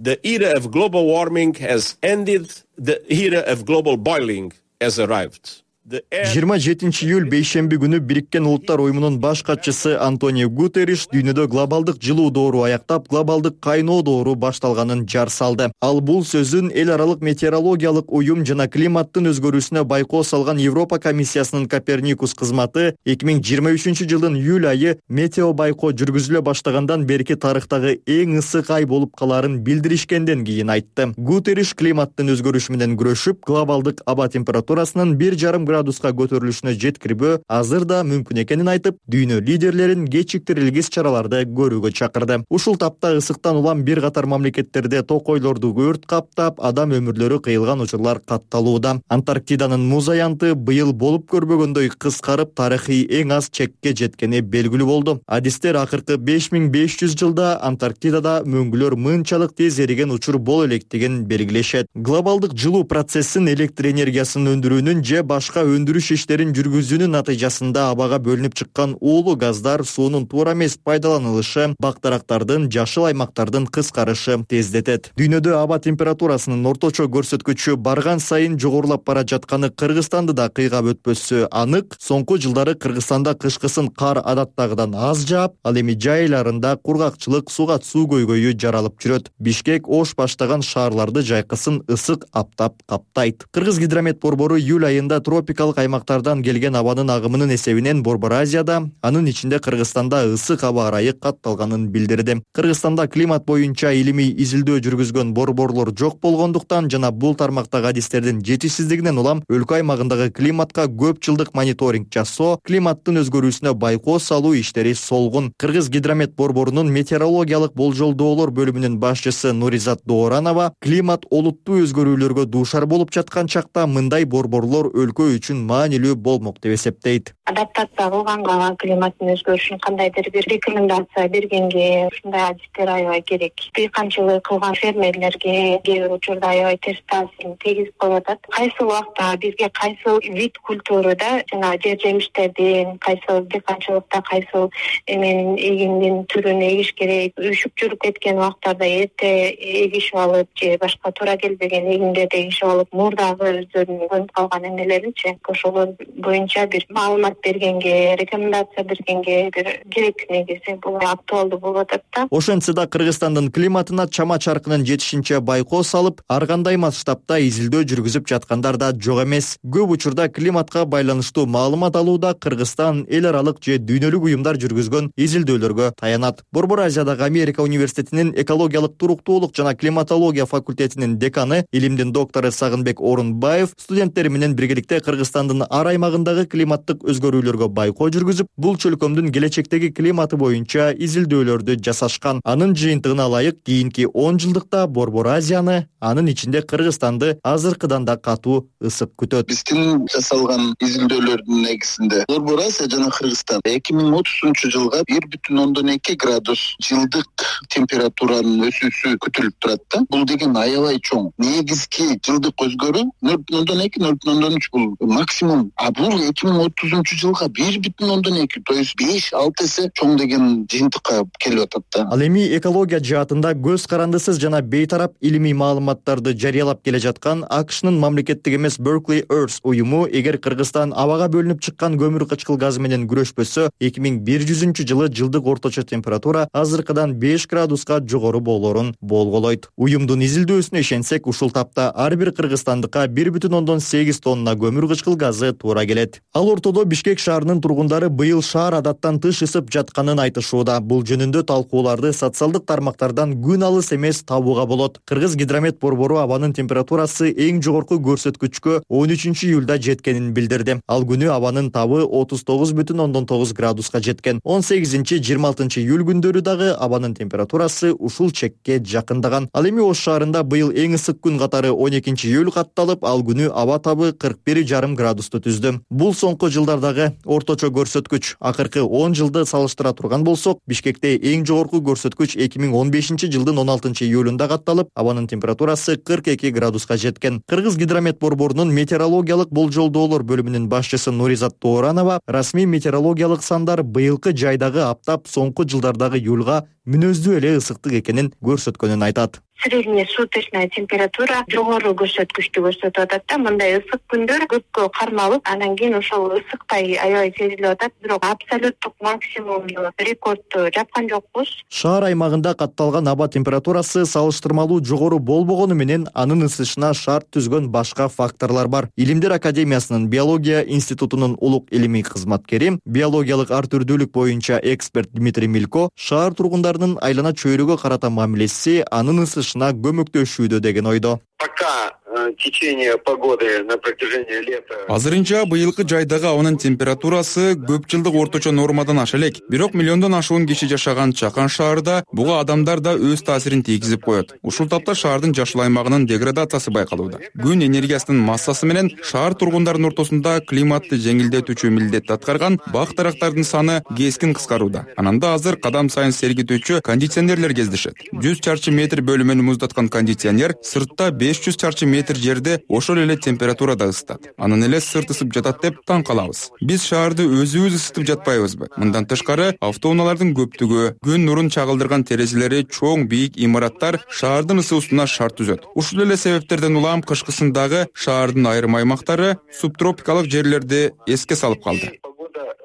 The era of global warming has ended. The era of global boiling has arrived. жыйырма жетинчи июль бейшемби күнү Бириккен Улуттар уюмунун баш катчысы Антонио Гутерриш дүйнөдө глобалдык жылуу доору аяктап, глобалдык кайноо доору башталганын жар салды. Ал бул сөзүн эл аралык метеорологиялык уюм жана климаттын өзгөрүүсүнө байкоо салган Европа комиссиясынын Коперникус кызматы эки миң жыйырма үчүнчү жылдын июль айы метео байкоо жүргүзүлө баштагандан берки тарыхтагы эң ысык ай болуп калаарын билдиришкенден кийин айтты. Гутерриш климаттын өзгөрүшү менен күрөшүп, глобалдык аба температурасынын бир жарым градуска көтөрүлүшүнө жеткирбөө азыр да мүмкүн экенин айтып, дүйнө лидерлерин кечиктирилгис чараларды көрүүгө чакырды. Ушул тапта ысыктан улам бир катар мамлекеттерде токойлорду өрт каптап, адам өмүрлөрү кыйылган учурлар катталууда. Антарктиданын муз аянты быйыл болуп көрбөгөндөй кыскарып, тарыхый эң аз чекке жеткени белгилүү болду. Адистер акыркы беш миң беш жүз жылда Антарктидада мөңгүлөр мынчалык тез эриген учур боло электигин белгилешет. Глобалдык жылуу процессин электр энергиясын өндүрүүнүн же башка өндүрүш иштерин жүргүзүүнүн натыйжасында абага бөлүнүп чыккан уулуу газдар суунун туура эмес пайдаланылышы бактарактардын жашыл аймактардын кыскарышы тездетет. Дүйнөдө аба температурасынын орточо көрсөткүчү барган сайын жогорулап бара жатканы Кыргызстанды да кыйгап өтпөсү анык. Соңку жылдары Кыргызстанда кышкысын кар адаттагыдан аз жаап, ал эми жай айларында кургакчылык, сугат суу көйгөйү жаралып жүрөт. Бишкек, Ош баштаган шаарларды жайкысын ысык аптап каптайт. Кыргыз гидромет борбору июль айында тропикалык аймактардан келген абанын агымынын эсебинен Борбор Азияда, анын ичинде Кыргызстанда ысык аба ырайы катталганын билдирди. Кыргызстанда климат боюнча илимий изилдөө жүргүзгөн борборлор жок болгондуктан жана бул тармактагы адистердин жетишсиздигинен улам өлкө аймагындагы климатка көп жылдык мониторинг жасоо, климаттын өзгөрүүсүнө байкоо салуу иштери солгун. Кыргыз гидромет борборунун метеорологиялык болжолдоолор бөлүмүнүн башчысы Нуризат Дооранова климат олуттуу өзгөрүүлөргө дуушар болуп жаткан чакта мындай борборлор өлкө үчүн маанилүү болмок деп эсептейт. Адаптация кылганга, климаттын өзгөрүшүн кандайдыр бир рекомендация бергенге ушундай адистер аябай керек. Дыйканчылык кылган фермерлерге кээ бир учурда аябай терс таасирин тийгизип коюп атат. Кайсы убакта бизге кайсы вид культурада жана жер жемиштердин, кайсы дыйканчылыкта кайсы эменин эгиндин түрүн эгиш керек, үшүп жүрүп кеткен убактарда эрте эгишип алып же башка туура келбеген эгиндерди эгишип алып, мурдагы өздөрүнүн көнүп калган эмелеринчи ошолор боюнча бир маалымат бергенге, рекомендация бергенге бир керек негизи бул актуалдуу болуп атат да. Ошентсе да Кыргызстандын климатына чама чаркынын жетишинче байкоо салып, ар кандай масштабта изилдөө жүргүзүп жаткандар да жок эмес. Көп учурда климатка байланыштуу маалымат алууда Кыргызстан эл аралык же дүйнөлүк уюмдар жүргүзгөн изилдөөлөргө таянат. Борбор Азиядагы Америка университетинин экологиялык туруктуулук жана климатология факультетинин деканы, илимдин доктору Сагынбек Орунбаев студенттери менен биргеликте Кыргызстандын ар аймагындагы климаттык өзгөрүүлөргө байкоо жүргүзүп, бул чөлкөмдүн келечектеги климаты боюнча изилдөөлөрдү жасашкан. Анын жыйынтыгына ылайык кийинки он жылдыкта Борбор Азияны, анын ичинде Кыргызстанды азыркыдан да катуу ысык күтөт. Биздин жасалган изилдөөлөрдүн негизинде Борбор Азия жана Кыргызстан эки миң отузунчу жылга бир бүтүн ондон эки градус жылдык температуранын өсүүсү күтүлүп турат да. Бул деген аябай чоң. Негизги жылдык өзгөрүү нөл бүтүн ондон эки нөл бүтүн ондон үч бул максимум. А бул эки миң отузунчу жылга бир бүтүн ондон эки, то есть беш алты эсе чоң деген жыйынтыкка келип атат да. Ал эми экология жаатында көз карандысыз жана бейтарап илимий маалыматтарды жарыялап келе жаткан АКШнын мамлекеттик эмес Berkeley Earth уюму эгер Кыргызстан абага бөлүнүп чыккан көмүр кычкыл газы менен күрөшпөсө, эки миң бир жүзүнчү жылы жылдык орточо температура азыркыдан беш градуска жогору болоорун болголойт. Уюмдун изилдөөсүнө ишенсек, ушул тапта ар бир кыргызстандыкка бир бүтүн ондон сегиз тонна көмүр кычкыл газы туура келет. Ал ортодо Бишкек шаарынын тургундары быйыл шаар адаттан тыш ысып жатканын айтышууда. Бул жөнүндө талкууларды социалдык тармактардан күн алыс эмес табууга болот. Кыргыз гидромет борбору абанын температурасы эң жогорку көрсөткүчкө он үчүнчү июлда жеткенин билдирди. Ал күнү абанын табы отуз тогуз бүтүн ондон тогуз градуска жеткен. он сегизинчи жыйырма алтынчы июль күндөрү дагы абанын температурасы ушул чекке жакындаган. Ал эми Ош шаарында быйыл эң ысык күн катары он экинчи июль катталып, ал күнү аба табы кырк бир и жарым градусту түздү. Бул соңку жылдардагы орточо көрсөткүч. Акыркы он жылды салыштыра турган болсок, Бишкекте эң жогорку көрсөткүч эки миң он бешинчи жылдын он алтынчы июлунда катталып, абанын температурасы кырк эки градуска жеткен. Кыргыз гидромет борборунун метеорологиялык болжолдоолор бөлүмүнүн башчысы Нуризат Тооранова расмий метеорологиялык сандар быйылкы жайдагы аптап соңку жылдардагы июлга мүнөздүү эле ысыктык экенин көрсөткөнүн айтат. Средняя суточная температура жогору көрсөткүчтү көрсөтүп атат да. Мындай ысык күндөр көпкө кармалып, анан кийин ошол ысыктай аябай сезилип атат. Бирок абсолюттук максимумду рекордду жапкан жокпуз. Шаар аймагында катталган аба температурасы салыштырмалуу жогору болбогону менен анын ысышына шарт түзгөн башка факторлор бар. Илимдер академиясынын биология институтунун улук илимий кызматкери, биологиялык ар түрдүүлүк боюнча эксперт Дмитрий Милько шаар тургундарынын айлана чөйрөгө карата мамилеси анын ысышына көмөктөшүүдө деген ойдо. Пока течение погоды на протяжении лета. Азырынча быйылкы жайдагы абанын температурасы көп жылдык орточо нормадан аша элек. Бирок миллиондон ашуун киши жашаган Чакан шаарында буга адамдар да өз таасирин тийгизип коет. Ушул тапта шаардын жашыл аймагынын деградациясы байкалууда. Күн энергиясынын массасы менен шаар тургундарынын ортосунда климатты жеңилдетүүчү милдетти аткарган бак дарактардын саны кескин кыскарууда. Ананда азыр кадам сайын сергитүүчү кондиционерлер кездешет. жүз чарчы метр бөлүмөнү муздаткан кондиционер сыртта беш жүз чарчы метр жерде ошол эле температурада ысытат. Анан эле сырт ысып жатат деп таң калабыз. Биз шаарды өзүбүз ысытып жатпайбызбы? Мындан тышкары автоунаалардын көптүгү, күн нурун чагылдырган терезелери чоң бийик имараттар шаардын ысуусуна шарт түзөт. Ушул эле себептерден улам кышкысындагы шаардын айрым аймактары субтропикалык жерлерди эске салып калды.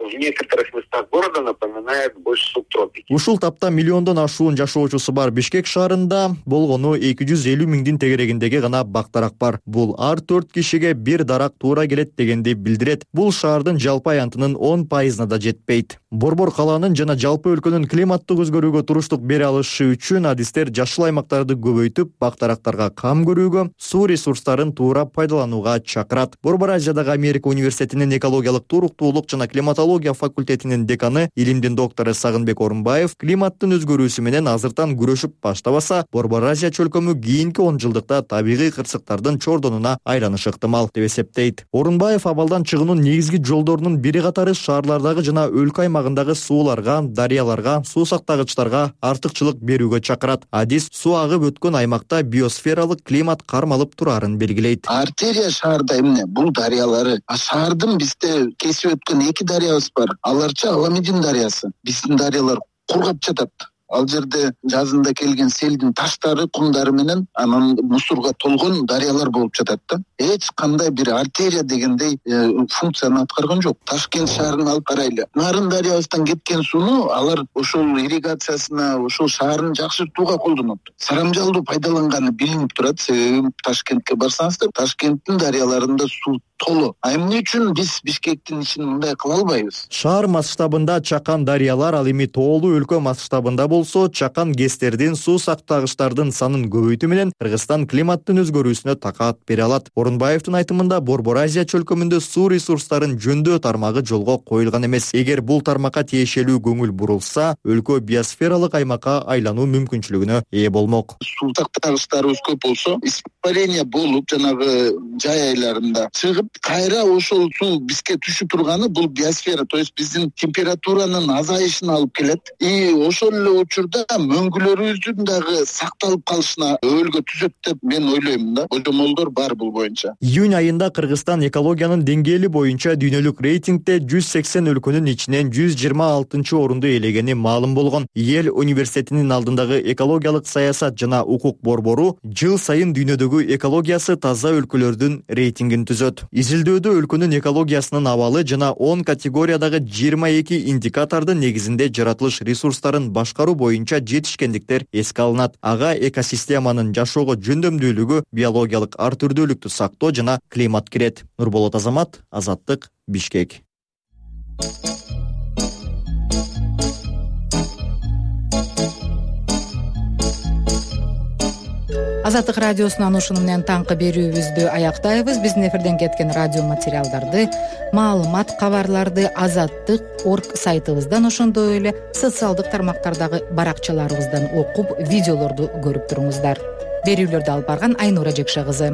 В некоторых местах города напоминает больше субтропики. Ушул тапта миллиондон ашуун жашоочусу бар Бишкек шаарында болгону эки жүз элүү миңдин тегерегиндеги гана бак-дарак бар. Бул ар төрт кишиге бир дарак туура келет дегенди билдирет. Бул шаардын жалпы аянтынын он пайызына да жетпейт. Борбор калаанын жана жалпы өлкөнүн климаттык өзгөрүүгө туруштук бере алышы үчүн адистер жашыл аймактарды көбөйтүп, бак-дарактарга кам көрүүгө, суу ресурстарын туура пайдаланууга чакырат. Борбор Азиядагы Америка университетинин экологиялык туруктуулук жана климатология факультетинин деканы, илимдин доктору Сагынбек Орунбаев климаттын өзгөрүүсү менен азыртан күрөшүп баштабаса, Борбор Азия чөлкөмү кийинки он жылдыкта табигый кырсыктардын чордонуна айланышы ыктымал деп эсептейт. Орунбаев абалдан чыгуунун негизги жолдорунун бири катары шаарлардагы жана өлкө аймагындагы сууларга, дарыяларга, суу сактагычтарга артыкчылык берүүгө чакырат. Адис суу агып өткөн аймакта биосфералык климат кармалып турарын белгилейт. Артерия шаарда эмне? Бул дарыялары. А шаардын бизде кесип өткөн эки дарыябыз бар. Аларча Аламедин дарыясы. Биздин дарыялар кургап жатат. Ал жерде жазында келген селдин таштары, кумдары менен анан мусорго толгон дарыялар болуп жатат да. Эч кандай бир артерия дегендей э, функцияны аткарган жок. Ташкент шаарын алып карайлы. Нарын дарыябыздан кеткен сууну алар ошол ирригациясына, ошол шаарын жакшыртууга колдонот. Сарамжалдуу пайдаланганы билинип турат. Себеби Ташкентке барсаңыздар, Ташкенттин дарыяларында суу толу. А эмне үчүн биз Бишкектин ишин мындай кыла албайбыз? Шаар масштабында Чакан дарыялар, ал эми тоолуу өлкө масштабында болсо, Чакан ГЭСтердин, суу сактагычтардын санын көбөйтүү менен Кыргызстан климаттын өзгөрүүсүнө такаат бере алат. Орунбаевдин айтымында Борбор Азия чөлкөмүндө суу ресурстарын жөндөө тармагы жолго коюлган эмес. Эгер бул тармакка тиешелүү көңүл бурулса, өлкө биосфералык аймакка айлануу мүмкүнчүлүгүнө ээ болмок. Суу сактагычтарыбыз көп болсо, испарение болуп, жанагы жай айларында чыгып, кайра ошол суу бизге түшүп турганы бул биосфера, то есть биздин температуранын азайышына алып келет. И ошол эле учурда мөңгүлөрүбүздүн дагы сакталып калышына өбөлгө түзөт деп мен ойлойм да. Божомолдор бар бул боюнча. Июнь айында Кыргызстан экологиянын деңгээли боюнча дүйнөлүк рейтингде жүз сексен өлкөнүн ичинен жүз жыйырма алтынчы орунду ээлегени маалым болгон. Йел университетинин алдындагы экологиялык саясат жана укук борбору жыл сайын дүйнөдөгү экологиясы таза өлкөлөрдүн рейтингин түзөт. Изилдөөдө өлкөнүн экологиясынын абалы жана он категориядагы жыйырма эки индикатордун негизинде жаратылыш ресурстарын башкаруу боюнча жетишкендиктер эске алынат. Ага экосистеманын жашоого жөндөмдүүлүгү, биологиялык ар түрдүүлүктү сактоо жана климат кирет. Нурболот Азамат, Азаттык, Бишкек. Азаттык радиосунан ушуну менен таңкы берүүбүздү аяктайбыз. Биздин эфирден кеткен радио материалдарды, маалымат, кабарларды азаттык точка орг сайтыбыздан, ошондой эле социалдык тармактардагы баракчаларыбыздан окуп, видеолорду көрүп туруңуздар. Берүүлөрдү алып барган Айнура Жекше кызы.